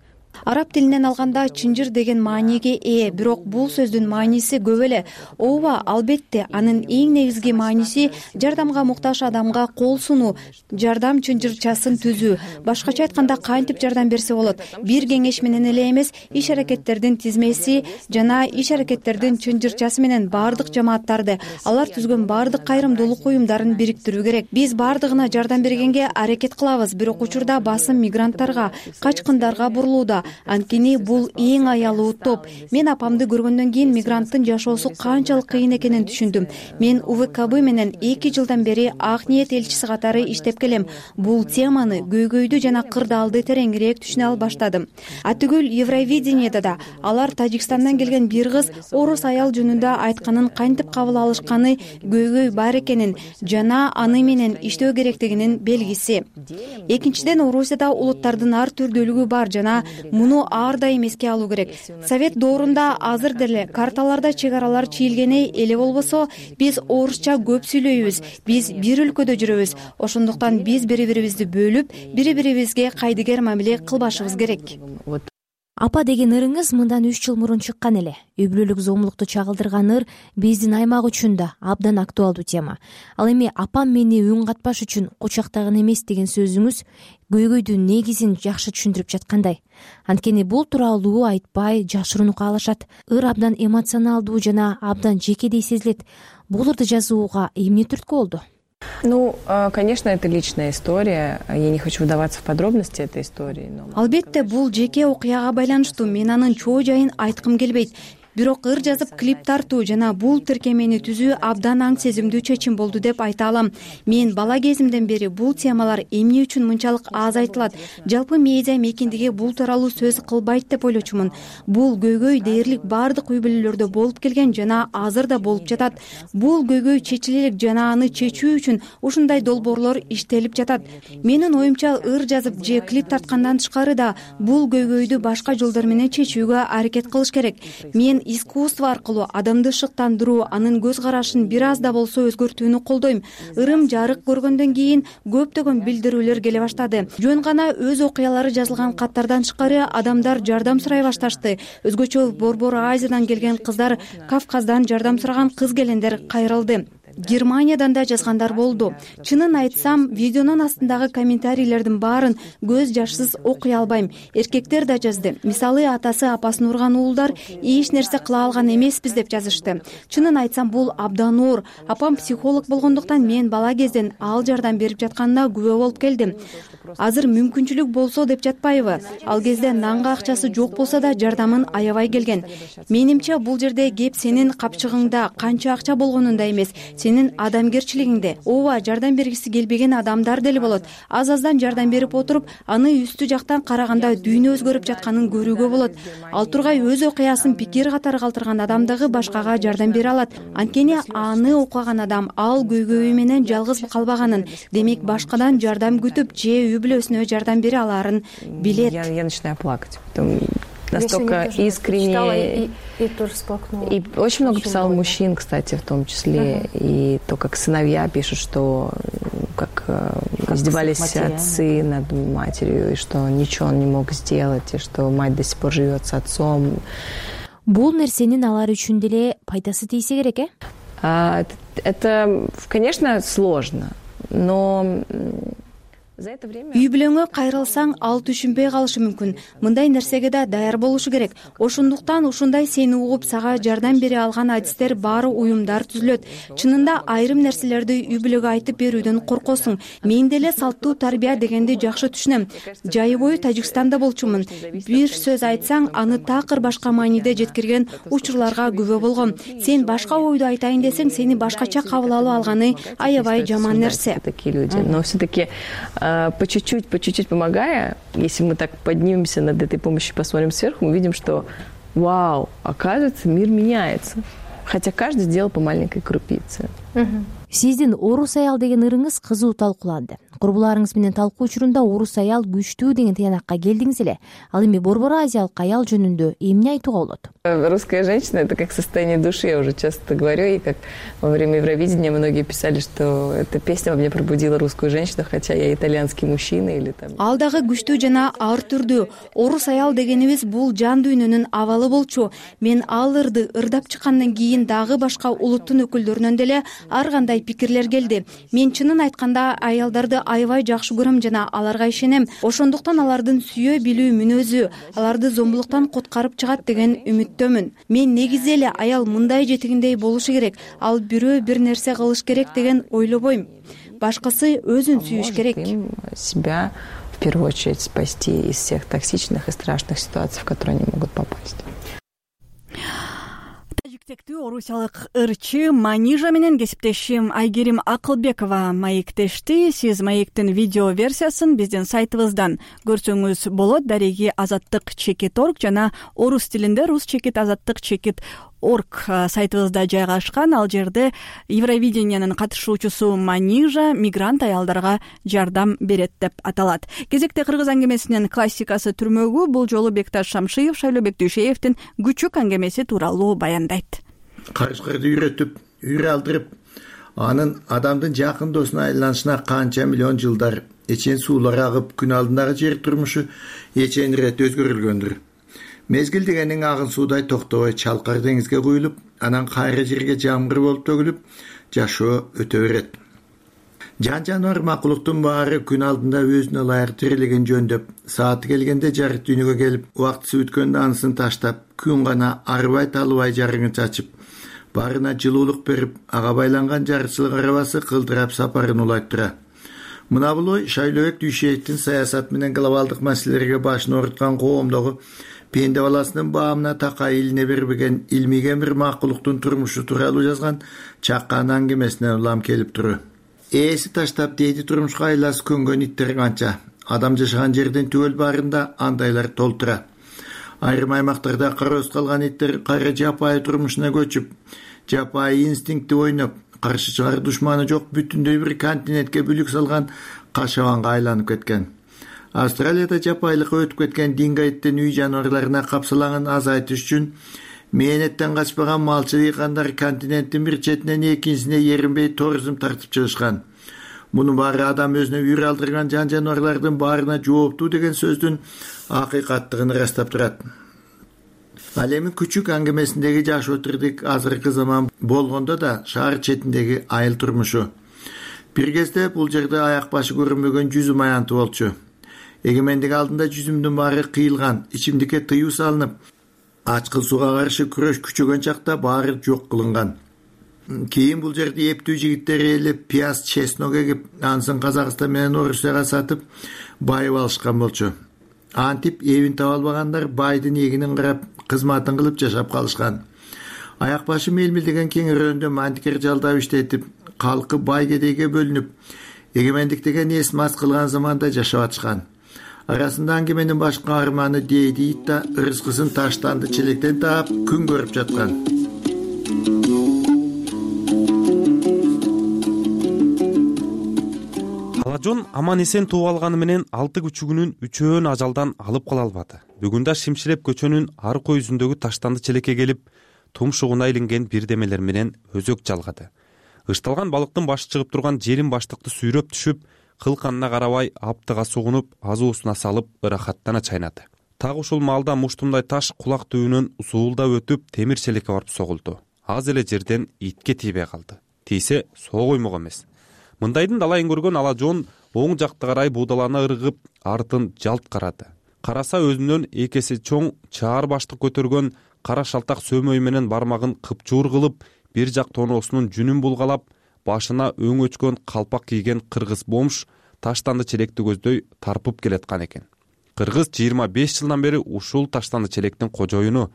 Араб тилинен алганда чынжыр деген мааниге ээ, бирок бул сөздүн мааниси көп эле. Ооба, албетте, анын эң негизги мааниси жардамга муктаж адамга кол сунуу, жардам чынжырчасын түзүү. Башкача айтканда кантип жардам берсе болот? Бир кеңеш менен эле эмес, иш аракеттердин тизмеси жана иш аракеттердин чынжырчасы менен баардык жамааттарды, алар түзгөн баардык кайрымдуулук уюмдарын бириктирүү керек. Биз баардыгына жардам бергенге аракет кылабыз, бирок учурда басым мигранттарга, качкындарга бурулууда. Анткени бул эң аялуу топ. Мен апамды көргөндөн кийин мигранттын жашоосу канчалык кыйын экенин түшүндүм. Мен УВКБ менен эки жылдан бери Ак ниет элчиси катары иштеп келем. Бул теманы, көйгөйдү жана кырдаалды тереңирээк түшүнө ал баштадым. Атүгүл Евровидениеда да алар Тажикстандан келген бир кыз орус аял жөнүндө айтканын кантип кабыл алышканы көйгөй бар экенин жана аны менен иштөө керектигинин белгиси. Экинчиден, Орусияда улуттардын ар түрдүүлүгү бар жана муну ар дайым эске алуу керек. Совет доорунда азыр деле карталарда чек аралар чийилгени эле болбосо, биз орусча көп сүйлөйбүз, биз бир өлкөдө жүрөбүз. Ошондуктан биз бири-бирибизди бөлүп, бири-бирибизге кайдыгер мамиле кылбашыбыз керек. Апа деген ырыңыз мындан үч жыл мурун чыккан эле. Үй бүлөлүк зомбулукту чагылдырган ыр биздин аймак үчүн да абдан актуалдуу тема. Ал эми апам мени үн катпаш үчүн кучактаган эмес деген сөзүңүз көйгөйдүн негизин жакшы түшүндүрүп жаткандай. Анткени бул тууралуу айтпай, жашырууну каалашат. Ыр абдан эмоционалдуу жана абдан жекедей сезилет. Бул ырды жазууга эмне түрткү болду? Ну, конечно, это личная история. Я не хочу вдаваться в подробности этой истории. Но... Албетте, бул жеке окуяга байланыштуу. Мен анын чоо жайын айткым келбейт. Бирок ыр жазып клип тартуу жана бул тиркемени түзүү абдан аң сезимдүү чечим болду деп айта алам. Мен бала кезимден бери бул темалар эмне үчүн мынчалык аз айтылат, жалпы медиа мейкиндиги бул тууралуу сөз кылбайт деп ойлочумун. Бул көйгөй дээрлик баардык үй бүлөлөрдө болуп келген жана азыр да болуп жатат. Бул көйгөй чечилелик жана аны чечүү үчүн ушундай долбоорлор иштелип жатат. Менин оюмча, ыр жазып же клип тарткандан тышкары да бул көйгөйдү башка жолдор менен чечүүгө аракет кылыш керек. Мен искусство аркылуу адамды шыктандыруу, анын көз карашын бир аз да болсо өзгөртүүнү колдойм. Ырым жарык көргөндөн кийин көптөгөн билдирүүлөр келе баштады. Жөн гана өз окуялары жазылган каттардан тышкары адамдар жардам сурай башташты. Өзгөчө Борбор Азиядан келген кыздар, Кавказдан жардам сураган кыз келендер кайрылды. Германиядан да жазгандар болду. Чынын айтсам, видеонун астындагы комментарийлердин баарын көз жашсыз окуй албайм. Эркектер да жазды. Мисалы, атасы апасын урган уулдар эч нерсе кыла алган эмеспиз деп жазышты. Чынын айтсам, бул абдан оор. Апам психолог болгондуктан мен бала кезден ал жардам берип жатканына күбө болуп келдим. Азыр мүмкүнчүлүк болсо деп жатпайбы? Ал кезде нанга акчасы жок болсо да жардамын аябай келген. Менимче бул жерде кеп сенин капчыгыңда канча акча болгонунда эмес, сенин адамгерчилигиңде. Ооба, жардам бергиси келбеген адамдар деле болот. Аз-аздан жардам берип отуруп, аны үстү жактан караганда дүйнө өзгөрүп жатканын көрүүгө болот. Ал тургай өз окуясын пикир катары калтырган адамдагы башкага жардам бере алат. Анткени аны окуган адам ал көйгөйү менен жалгыз калбаганын, демек башкадан жардам күтүп же үй бүлөсүнө жардам бере алаарын билет. Я начинаю плакать. Настолько искренне. И, и тоже сплакнула. И очень много писал мужчин, кстати, в том числе. Uh-huh. И то, как сыновья пишут, что как, как издевались отцы над матерью, и что ничего он не мог сделать, и что мать до сих пор живет с отцом. Бул нерсенин алар үчүн деле пайдасы тийсе керек, э? А, это, это, конечно, сложно, но үй бүлөңө кайрылсаң ал түшүнбөй калышы мүмкүн. Мындай нерсеге да даяр болушу керек. Ошондуктан ушундай сени угуп сага жардам бере алган адистер баары уюмдар түзүлөт. Чынында айрым нерселерди үй бүлөгө айтып берүүдөн коркосуң. Мен деле салттуу тарбия дегенди жакшы түшүнөм. Жайы бою Тажикстанда болчумун. Бир сөз айтсаң, аны такыр башка мааниде жеткирген учурларга күбө болгом. Сен башка ойду айтайын десең, сени башкача кабыл алып алганы аябай жаман нерсе. Но все-таки по чуть-чуть, по чуть-чуть помогая, если мы так поднимемся над этой помощью, посмотрим сверху, мы видим, что вау, оказывается, мир меняется. Хотя каждый сделал по маленькой крупице. Сиздин орус аял деген ырыңыз кызуу талкууланды. Курбуларыңыз менен талкуу учурунда орус аял күчтүү деген тыянакка келдиңиз эле. Ал эми борбор азиялык аял жөнүндө эмне айтууга болот? Русская женщина — это как состояние души, я уже часто говорю, и как во время Евровидения многие писали, что эта песня во мне пробудила русскую женщину, хотя я итальянский мужчина или там. Ал дагы күчтүү жана ар түрдүү. Орус аял дегенибиз бул жан дүйнөнүн абалы болчу. Мен ал ырды ырдап чыккандан кийин дагы башка улуттун өкүлдөрүнөн деле ар кандай пикирлер келди. Мен чынын айтканда аялдарды аябай жакшы көрөм жана аларга ишенем. Ошондуктан алардын сүйө билүү мүнөзү аларды зомбулуктан коткарып чыгат деген үмүттөмүн. Мен негизи эле аял мындай жетигиндей болушу керек. Ал бирөө бир нерсе кылыш керек деген ойлобойм. Башкысы өзүн сүйүш керек. Себя в первую очередь спасти из всех токсичных и страшных ситуаций, в которые они могут попасть. Тажиктектүү орусиялык ырчы Манижа менен кесиптешим Айгерим Акылбекова маектешти. Сиз маектин видео версиясын биздин сайтыбыздан көрсөңүз болот. Дареги азаттык чекит орг жана орус тилинде рус чекит азаттык чекит орг сайтыбызда жайгашкан. Ал жерде Евровидениянын катышуучусу Манижа мигрант аялдарга жардам берет деп аталат. Кезекте кыргыз аңгемесинин классикасы түрмөгү бул жолу Бекташ Шамшиев Шайлообек Дүйшеевдин күчүк аңгемеси тууралуу баяндайт. Карышкырды үйрөтүп, үйрө алдырып, анын адамдын жакын досуна айланышына канча миллион жылдар эчен суулар агып, күн алдындагы жер турмушу эчен ирет өзгөрүлгөндүр. Мезгил дегенин агын суудай токтобой чалкар деңизге куюлуп, анан кайра жерге жамгыр болуп төгүлүп, жашоо өтө берет. Жан жаныбар макулуктун баары күн алдында өзүнө ылайык тирилеген жөндөп, сааты келгенде жарык дүйнөгө келип, убактысы өткөндө анысын таштап, күн гана арбай талыбай жарыгын чачып, баарына жылуулук берип, ага байланган жарчылык арабасы кылдырап сапарын улайт тура. Мына бул ой Шайлообек Дүйшеевдин саясат менен глобалдык маселелерге башын ооруткан коомдогу пенде баласынын баамына такай илине бербеген илмиген бир макулуктун турмушу тууралуу жазган чаккан аңгемесине улам келип туру. Ээси таштап дейди турмушка айласы көнгөн иттер канча. Адам жашаган жерден түгөл баарында андайлар толтура. Айрым аймактарда кароосуз калган иттер кайра жапайы турмушуна көчүп, жапайы инстинкти ойноп, каршы чыгаар душманы жок бүтүндөй бир континентке бүлүк салган кашабанга айланып кеткен. Австралияда жапайлыкка өтүп кеткен дингайттын үй жаныбарларына капсалагын азайтыш үчүн мээнеттен качпаган малчы дыйкандар континенттин бир четинен экинчисине эринбей туризм тартып чыгышкан. Мунун баары адам өзүнө үйрө алдырган жан жаныбарлардын баарына жооптуу деген сөздүн акыйкаттыгын ырастап турат. Ал эми күчүк аңгемесиндеги жаш отурдук азыркы заман болгондо да шаар четиндеги айыл турмушу. Бир кезде бул жерде аяк башы көрүнбөгөн жүзүм аянты болчу. Эгемендик алдында жүзүмдүн баары кыйылган, ичимдикке тыюу салынып, ачкыл сууга каршы күрөш күчөгөн чакта баары жок кылынган. Кийин бул жерде эптүү жигиттер ээлеп, пияз, чеснок эгип, ансын Казакстан менен Орусияга сатып, байып алышкан болчу. Антип эбин таба албагандар байдын эгинин карап, кызматын кылып жашап калышкан. Аяк башы мелмилдеген кеңирөөндө мантикер жалдап иштетип, калкы бай кедейге бөлүнүп, эгемендик деген эс мас кылган заманда жашап атышкан. Арасында аңгеменин баш каарманы дейди ит да ырыскысын таштанды челектен таап күн көрүп жаткан. Алажон аман эсен тууп алганы менен алты күчүгүнүн үчөөн ажалдан алып кала албады. Бүгүн да Шимшилеп көчөнүн аркы өзүндөгү таштанды челекке келип, тумшугуна илинген бирдемелер менен өзөк жалгады. Ышталган балыктын башы чыгып турган желин баштыкты сүйрөп түшүп, кылканына карабай аптыга сугунуп, азуусуна салып ырахаттана чайнады. Так ушул маалда муштумдай таш кулак түбүнөн усуулдап өтүп, темир челекке барып согулду. Аз эле жерден итке тийбей калды. Тийсе соо коймок эмес. Мындайдын далайын көргөн Алажон оң жакты карай будалана ыргып, артын жалт карады. Караса өзүнөн эки эсе чоң чаар баштык көтөргөн кара шалтак сөмөй менен бармагын кыпчуур кылып, бир жак тоноосунун жүнүн булгалап, башына өң өчкөн калпак кийген кыргыз бомж таштанды челекти көздөй тарпып келаткан экен. Кыргыз жыйырма беш жылдан бери ушул таштанды челектин кожоюну,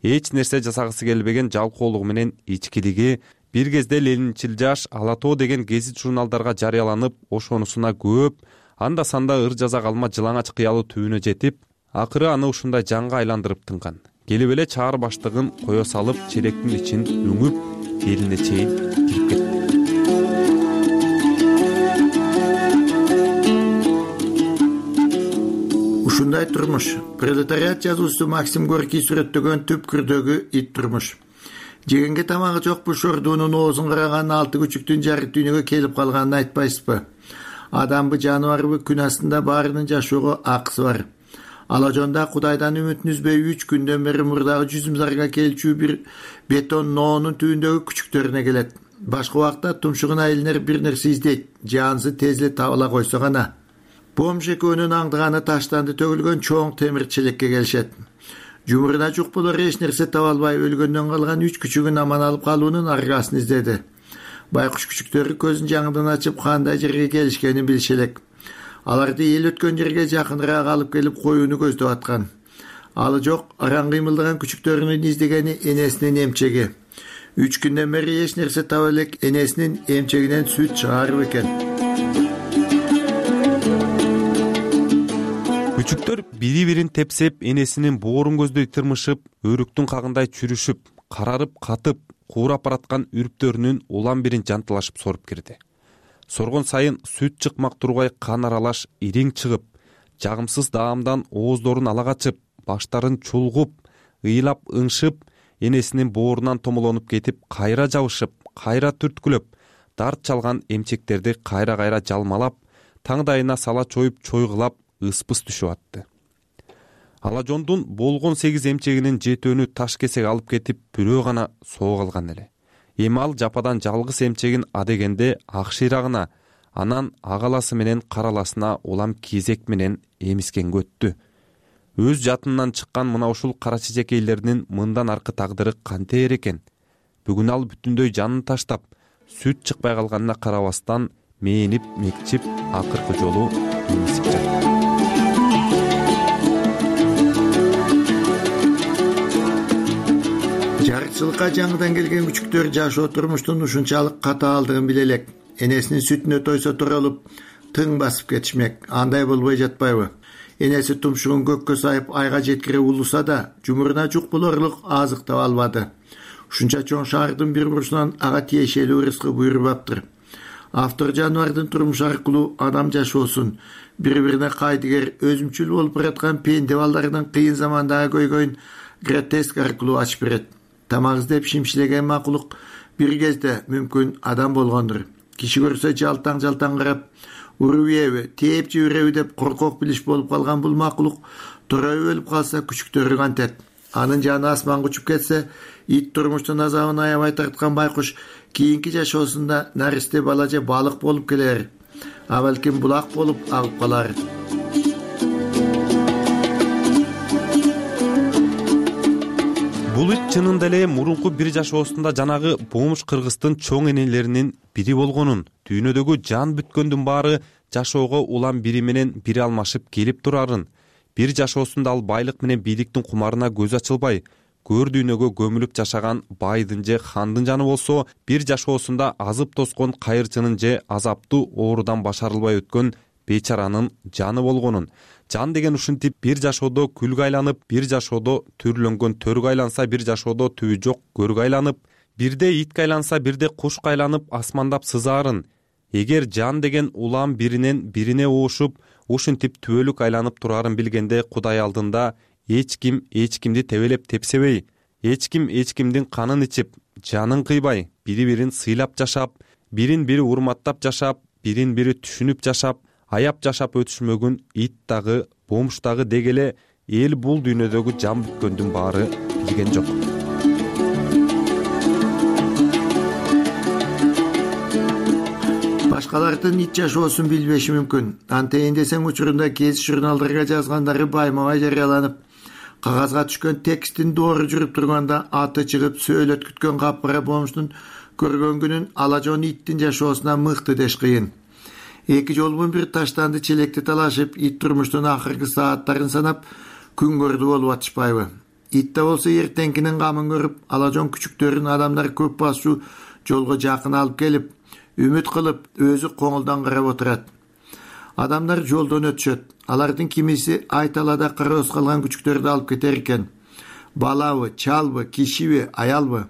эч нерсе жасагысы келбеген жалкоолугу менен ичкилиги бир кезде Ленинчил жаш Ала тоо деген гезит журналдарга жарыяланып, ошонусуна көп, анда санда ыр жаза калма жылаңач кыялы түбүнө жетип, акыры аны ушундай жанга айландырып тынган. Келип эле чаар баштыгын кое салып, челектин ичин үңүп, элине чейин кирип кетти. Ушундай турмуш пролетариат жазуучусу Максим Горький сүрөттөгөн түпкүрдөгү ит турмуш. Жегенге тамагы жок бу шордуунун оозун караган алты күчүктүн жары дүйнөгө келип калганын айтпайсызбы? Адамбы, жаныбарбы, күн астында баарынын жашоого акысы бар. Алажонда Кудайдан үмүтүн үзбөй үч күндөн бери мурдагы жүзүм зарга келчү бир бетон ноонун түбүндөгү күчүктөрүнө келет. Башка убакта тумшугуна илинер бир нерсе издейт, жаансы тез эле табыла койсо гана. Бомж экөөнүн аңдыганы таштанды төгүлгөн чоң темир челекке келишет. Жумурuna жук болор эч нерсе таба албай өлгөндөн калган үч күчүгүн аман алып калуунун аргасын издеди. Байкуш күчүктөрү көзүн жаңыдан ачып кандай жерге келишкенин билиши элек. Аларды эл өткөн жерге жакыныраак алып келип коюуну көздөп аткан. Алы жок, аран кыймылдаган күчүктөрүнүн издегени энесинин эмчеги. Үч күндөн бери эч нерсе таба элек энесинин эмчегинен сүт чыгарып экен. Күчүктөр бири-бирин тепсеп, энесинин боорун көздөй тырмышып, өрүктүн кагындай чүрүшүп, карарып, катып, куурап бараткан үрптөрүнүн улам бирин жантылашып соруп кирди. Соргон сайын сүт чыкмак тургай кан аралаш ириң чыгып, жагымсыз даамдан ооздорун ала качып, баштарын чулгуп, ыйлап ыңшып, энесинин боорунан томолонуп кетип, кайра жабышып, кайра түрткүлөп, дарт чалган эмчектерди кайра-кайра жалмалап, таңдайына сала чоюп, чойгулап, ыспыс түшүп атты. Алажондун болгон сегиз эмчегинин жетөөнү таш кесек алып кетип, бирөө гана соо калган эле. Эми ал жападан жалгыз эмчегин адегенде ак шыйрагына, анан агаласы менен караласына улам кезек менен эмискенге өттү. Өз жатынынан чыккан мына ушул кара чечекейлеринин мындан аркы тагдыры кантер экен? Бүгүн ал бүтүндөй жанын таштап, сүт чыкпай калганына карабастан мээнип, мекчип, акыркы жолу эмисип жатты. Жарыкчылыкка жаңыдан келген күчүктөр жашоо турмуштун ушунчалык катаалдыгын биле элек. Энесинин сүтүнө тойсо туралып, тың басып кетишмек. Андай болбой жатпайбы? Энеси тумшугун көккө сайып айга жеткире улуса да, жумуруна жук болорлук азык таба албады. Ушунча чоң шаардын бир бурчунан ага тиешелүү рызкы буйрубаптыр. Автор жаныбардын турмушу аркылуу адам жашоосун, бири-бирине кайдыгер, өзүмчүл болуп бараткан пенде балдарынын кыйын замандагы көйгөйүн гротеск аркылуу ачып берет. Тамак издеп шимшилеген макулук бир кезде мүмкүн адам болгондур. Киши көрсө жалтаң-жалтаң карап, уруп ийеби, тээп жибереби деп коркок билиш болуп калган бул макулук тороюп өлүп калса күчүктөрү кантет. анын жаны асманга учуп кетсе, ит турмуштун азабын аябай тарткан байкуш кийинки жашоосунда наристе бала же балык болуп келер, а балким булак болуп агып калар. Бул ит чынында эле мурунку бир жашоосунда жанагы бомж кыргыздын чоң энелеринин бири болгонун, дүйнөдөгү жан бүткөндүн баары жашоого улам бири менен бири алмашып келип турарын, бир жашоосунда ал байлык менен бийликтин кумарына көз ачылбай, көр дүйнөгө көмүлүп жашаган байдын же хандын жаны болсо, бир жашоосунда азып тоскон кайырчынын же азаптуу оорудан башарылбай өткөн бечаранын жаны болгонун. Жан деген ушинтип бир жашоодо күлгө айланып, бир жашоодо түрлөнгөн төргө айланса, бир жашоодо түбү жок көргө айланып, бирде итке айланса, бирде кушка айланып асмандап сызаарын. Эгер жан деген улам биринен бирине уушуп, ушинтип түбөлүк айланып турарын билгенде, Кудай алдында эч ким эч кимди тебелеп тепсебей, эч ким эч кимдин канын ичип, жанын кыйбай, бири-бирин сыйлап жашап, бирин-бири урматтап жашап, бирин-бири түшүнүп жашап, аяп жашап өтүшмөгүн ит дагы, бомж дагы дегеле эл бул дүйнөдөгү жан бүткөндүн баары билген жок. Башкалардын ит жашоосун билбеши мүмкүн. Антейин десең, учурунда кез журналдарга жазгандары байма-бай жарыяланып, кагазга түшкөн текстин доору жүрүп турганда аты чыгып сөөлөт күткөн капкара бомждун көргөн күнүн алажон иттин жашоосуна мыкты деш кыйын. Эки жолбун бир таштанды челекти талашып, ит турмуштун акыркы сааттарын санап, күн көрдү болуп атышпайбы? Итте болсо эртеңкинин камын көрүп, алажон күчүктөрүн адамдар көп басуу жолго жакын алып келип, үмүт кылып, өзү коңулдан карап отурат. Адамдар жолдон өтүшөт. Алардын кимиси айталада кароосуз калган күчүктөрдү алып кетер экен. Балабы, чалбы, кишиби, аялбы?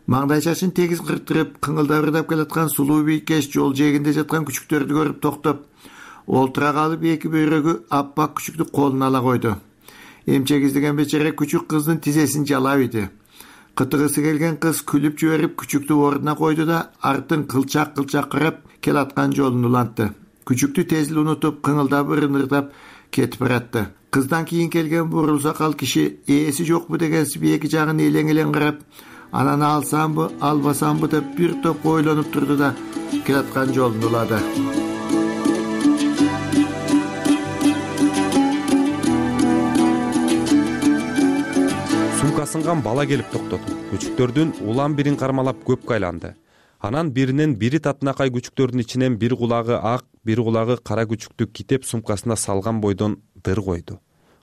Маңдайчашын тегиз кыртырып, кыңылдап ырдап келаткан сулуу бийкеш жол жээгинде жаткан күчүктөрдү көрүп токтоп, олтура калып эки бөйрөгү аппак күчүктү колуна ала койду. Эмчек издеген бечара күчүк кыздын тизесин жалап иди. Кытыгысы келген кыз күлүп жиберип күчүктү ордуна койду да, артын кылчак-кылчак карап келаткан жолун улантты. Күчүктү тез эле унутуп, кыңылдап ырынырдап кетип баратты. Кыздан кийин келген бурул сакал киши ээси жокпу дегенсип эки жагын элең-элең карап, анан алсамбы, албасамбы деп бир топ ойлонуп турду да келаткан жолун улады. Сумкасынган бала келип токтоду. Күчүктөрдүн улам бирин кармалап көпкө айланды. Анан биринен бири татынакай күчүктөрдүн ичинен бир кулагы ак, бир кулагы кара күчүктү китеп сумкасына салган бойдон дыр койду.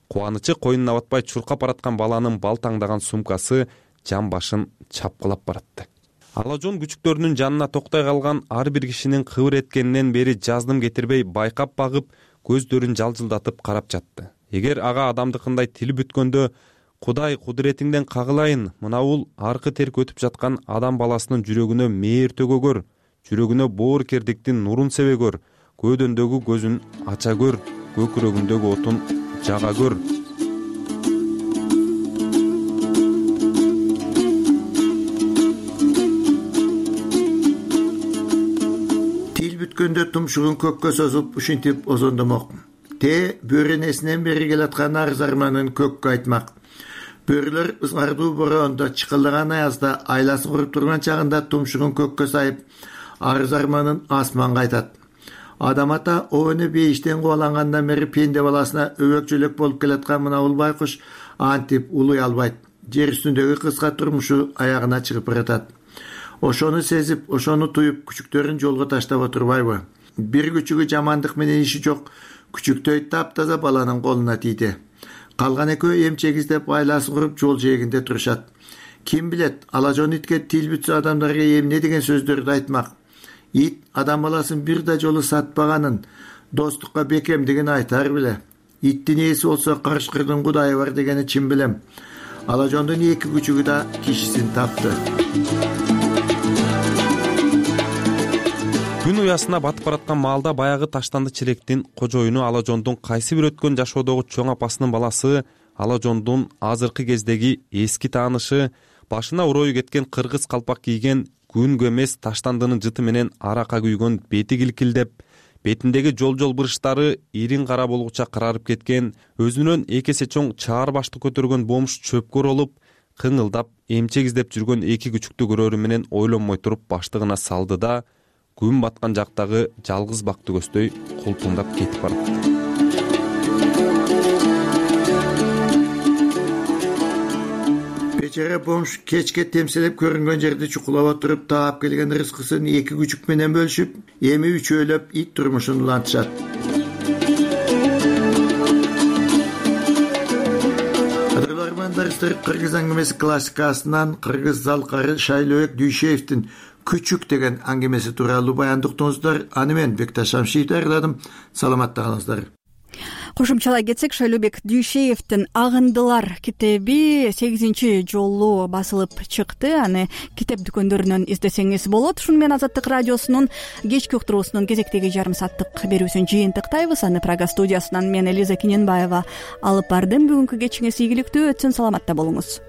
Кубанычы койнуна батпай чуркап бараткан баланын бал таңдаган сумкасы жан башын чапкылап баратты. Алажон күчүктөрүнүн жанына токтой калган ар бир кишинин кыбыр эткенинен бери жаздым кетирбей байкап багып, көздөрүн жалжылдатып карап жатты. Эгер ага адамдыкындай тил бүткөндө, Кудай кудуретиңден кагылайын, мына бул аркы терк өтүп жаткан адам баласынын жүрөгүнө мээр төгөгөр, жүрөгүнө боор кердиктин нурун себе көр, көөдөндөгү көзүн ача көр, көкүрөгүндөгү отун жага көр. Тил бүткөндө тумшугун көккө созуп, ушинтип озондомок. Те бөренесинен бери келаткан арыз арманын көккө айтмак. Бөрүлөр ызгардуу бороондо, чыкылдаган аязда, айласын куруп турган чагында тумшугун көккө сайып, арыз арманын асманга айтат. Адам ата обону бейиштен кубалангандан бери пенде баласына өбөкчөлөк болуп келаткан мына бул байкуш антип улуй албайт. Жер үстүндөгү кыска турмушу аягына чыгып баратат. Ошону сезип, ошону туюп, күчүктөрүн жолго таштап отурбайбы? Бир күчүгү жамандык менен иши жок, күчүктөй таптаза баланын колуна тийди. Калган экөө эмчек издеп айласын куруп жол жээгинде турушат. Ким билет, алажон итке тил бүтсө адамдарга эмне деген сөздөрдү айтмак. Ит адам баласын бир да жолу сатпаганын, достукка бекемдигин айтар беле. Иттин ээси болсо карышкырдын кудайы бар дегени чын билем. Алажондун эки күчүгү да кишисин тапты. Күн уясына батып бараткан маалда баягы таштанды челектин кожоюну Алажондун кайсы бир өткөн жашоодогу чоң апасынын баласы, Алажондун азыркы кездеги эски таанышы, башына урою кеткен кыргыз калпак кийген, күнгө эмес таштандынын жыты менен арака күйгөн, бети килкилдеп, бетиндеги жол жол бырыштары ирин кара болгуча карарып кеткен, өзүнөн эки эсе чоң чаар башты көтөргөн бомж чөпкөр болуп, кыңылдап эмчек издеп жүргөн эки күчүктү көрөрү менен ойлонмой туруп баштыгына салды да күн баткан жактагы жалгыз бак түгөсдөй култуңдап кетип баратты. Бечара бомж кечке темселеп көрүнгөн жерди чукулап отуруп, таап келген рызкысын эки күчүк менен бөлүшүп, эми үчөөлөп ит турмушун улантышат. Кыргыз аңгемеси классикасынан кыргыз залкары Шайлообек Дүйшеевдин Күчүк деген аңгемеси тууралуу баяндык уктуңуздар. Аны мен Бекташ Шамшиев даярдадым. Саламатта калыңыздар. Кошумчалай кетсек, Шайлообек Дүйшеевдин Агындылар китеби сегизинчи жолу басылып чыкты. Аны китеп дүкөндөрүнөн издесеңиз болот. Ушуну менен Азаттык радиосунун кечки уктуруусунун кезектеги жарым сааттык берүүсүн жыйынтыктайбыз. Аны Прага студиясынан мен Элиза Киненбаева алып бардым. Бүгүнкү кечиңиз ийгиликтүү өтсүн, саламатта болуңуз.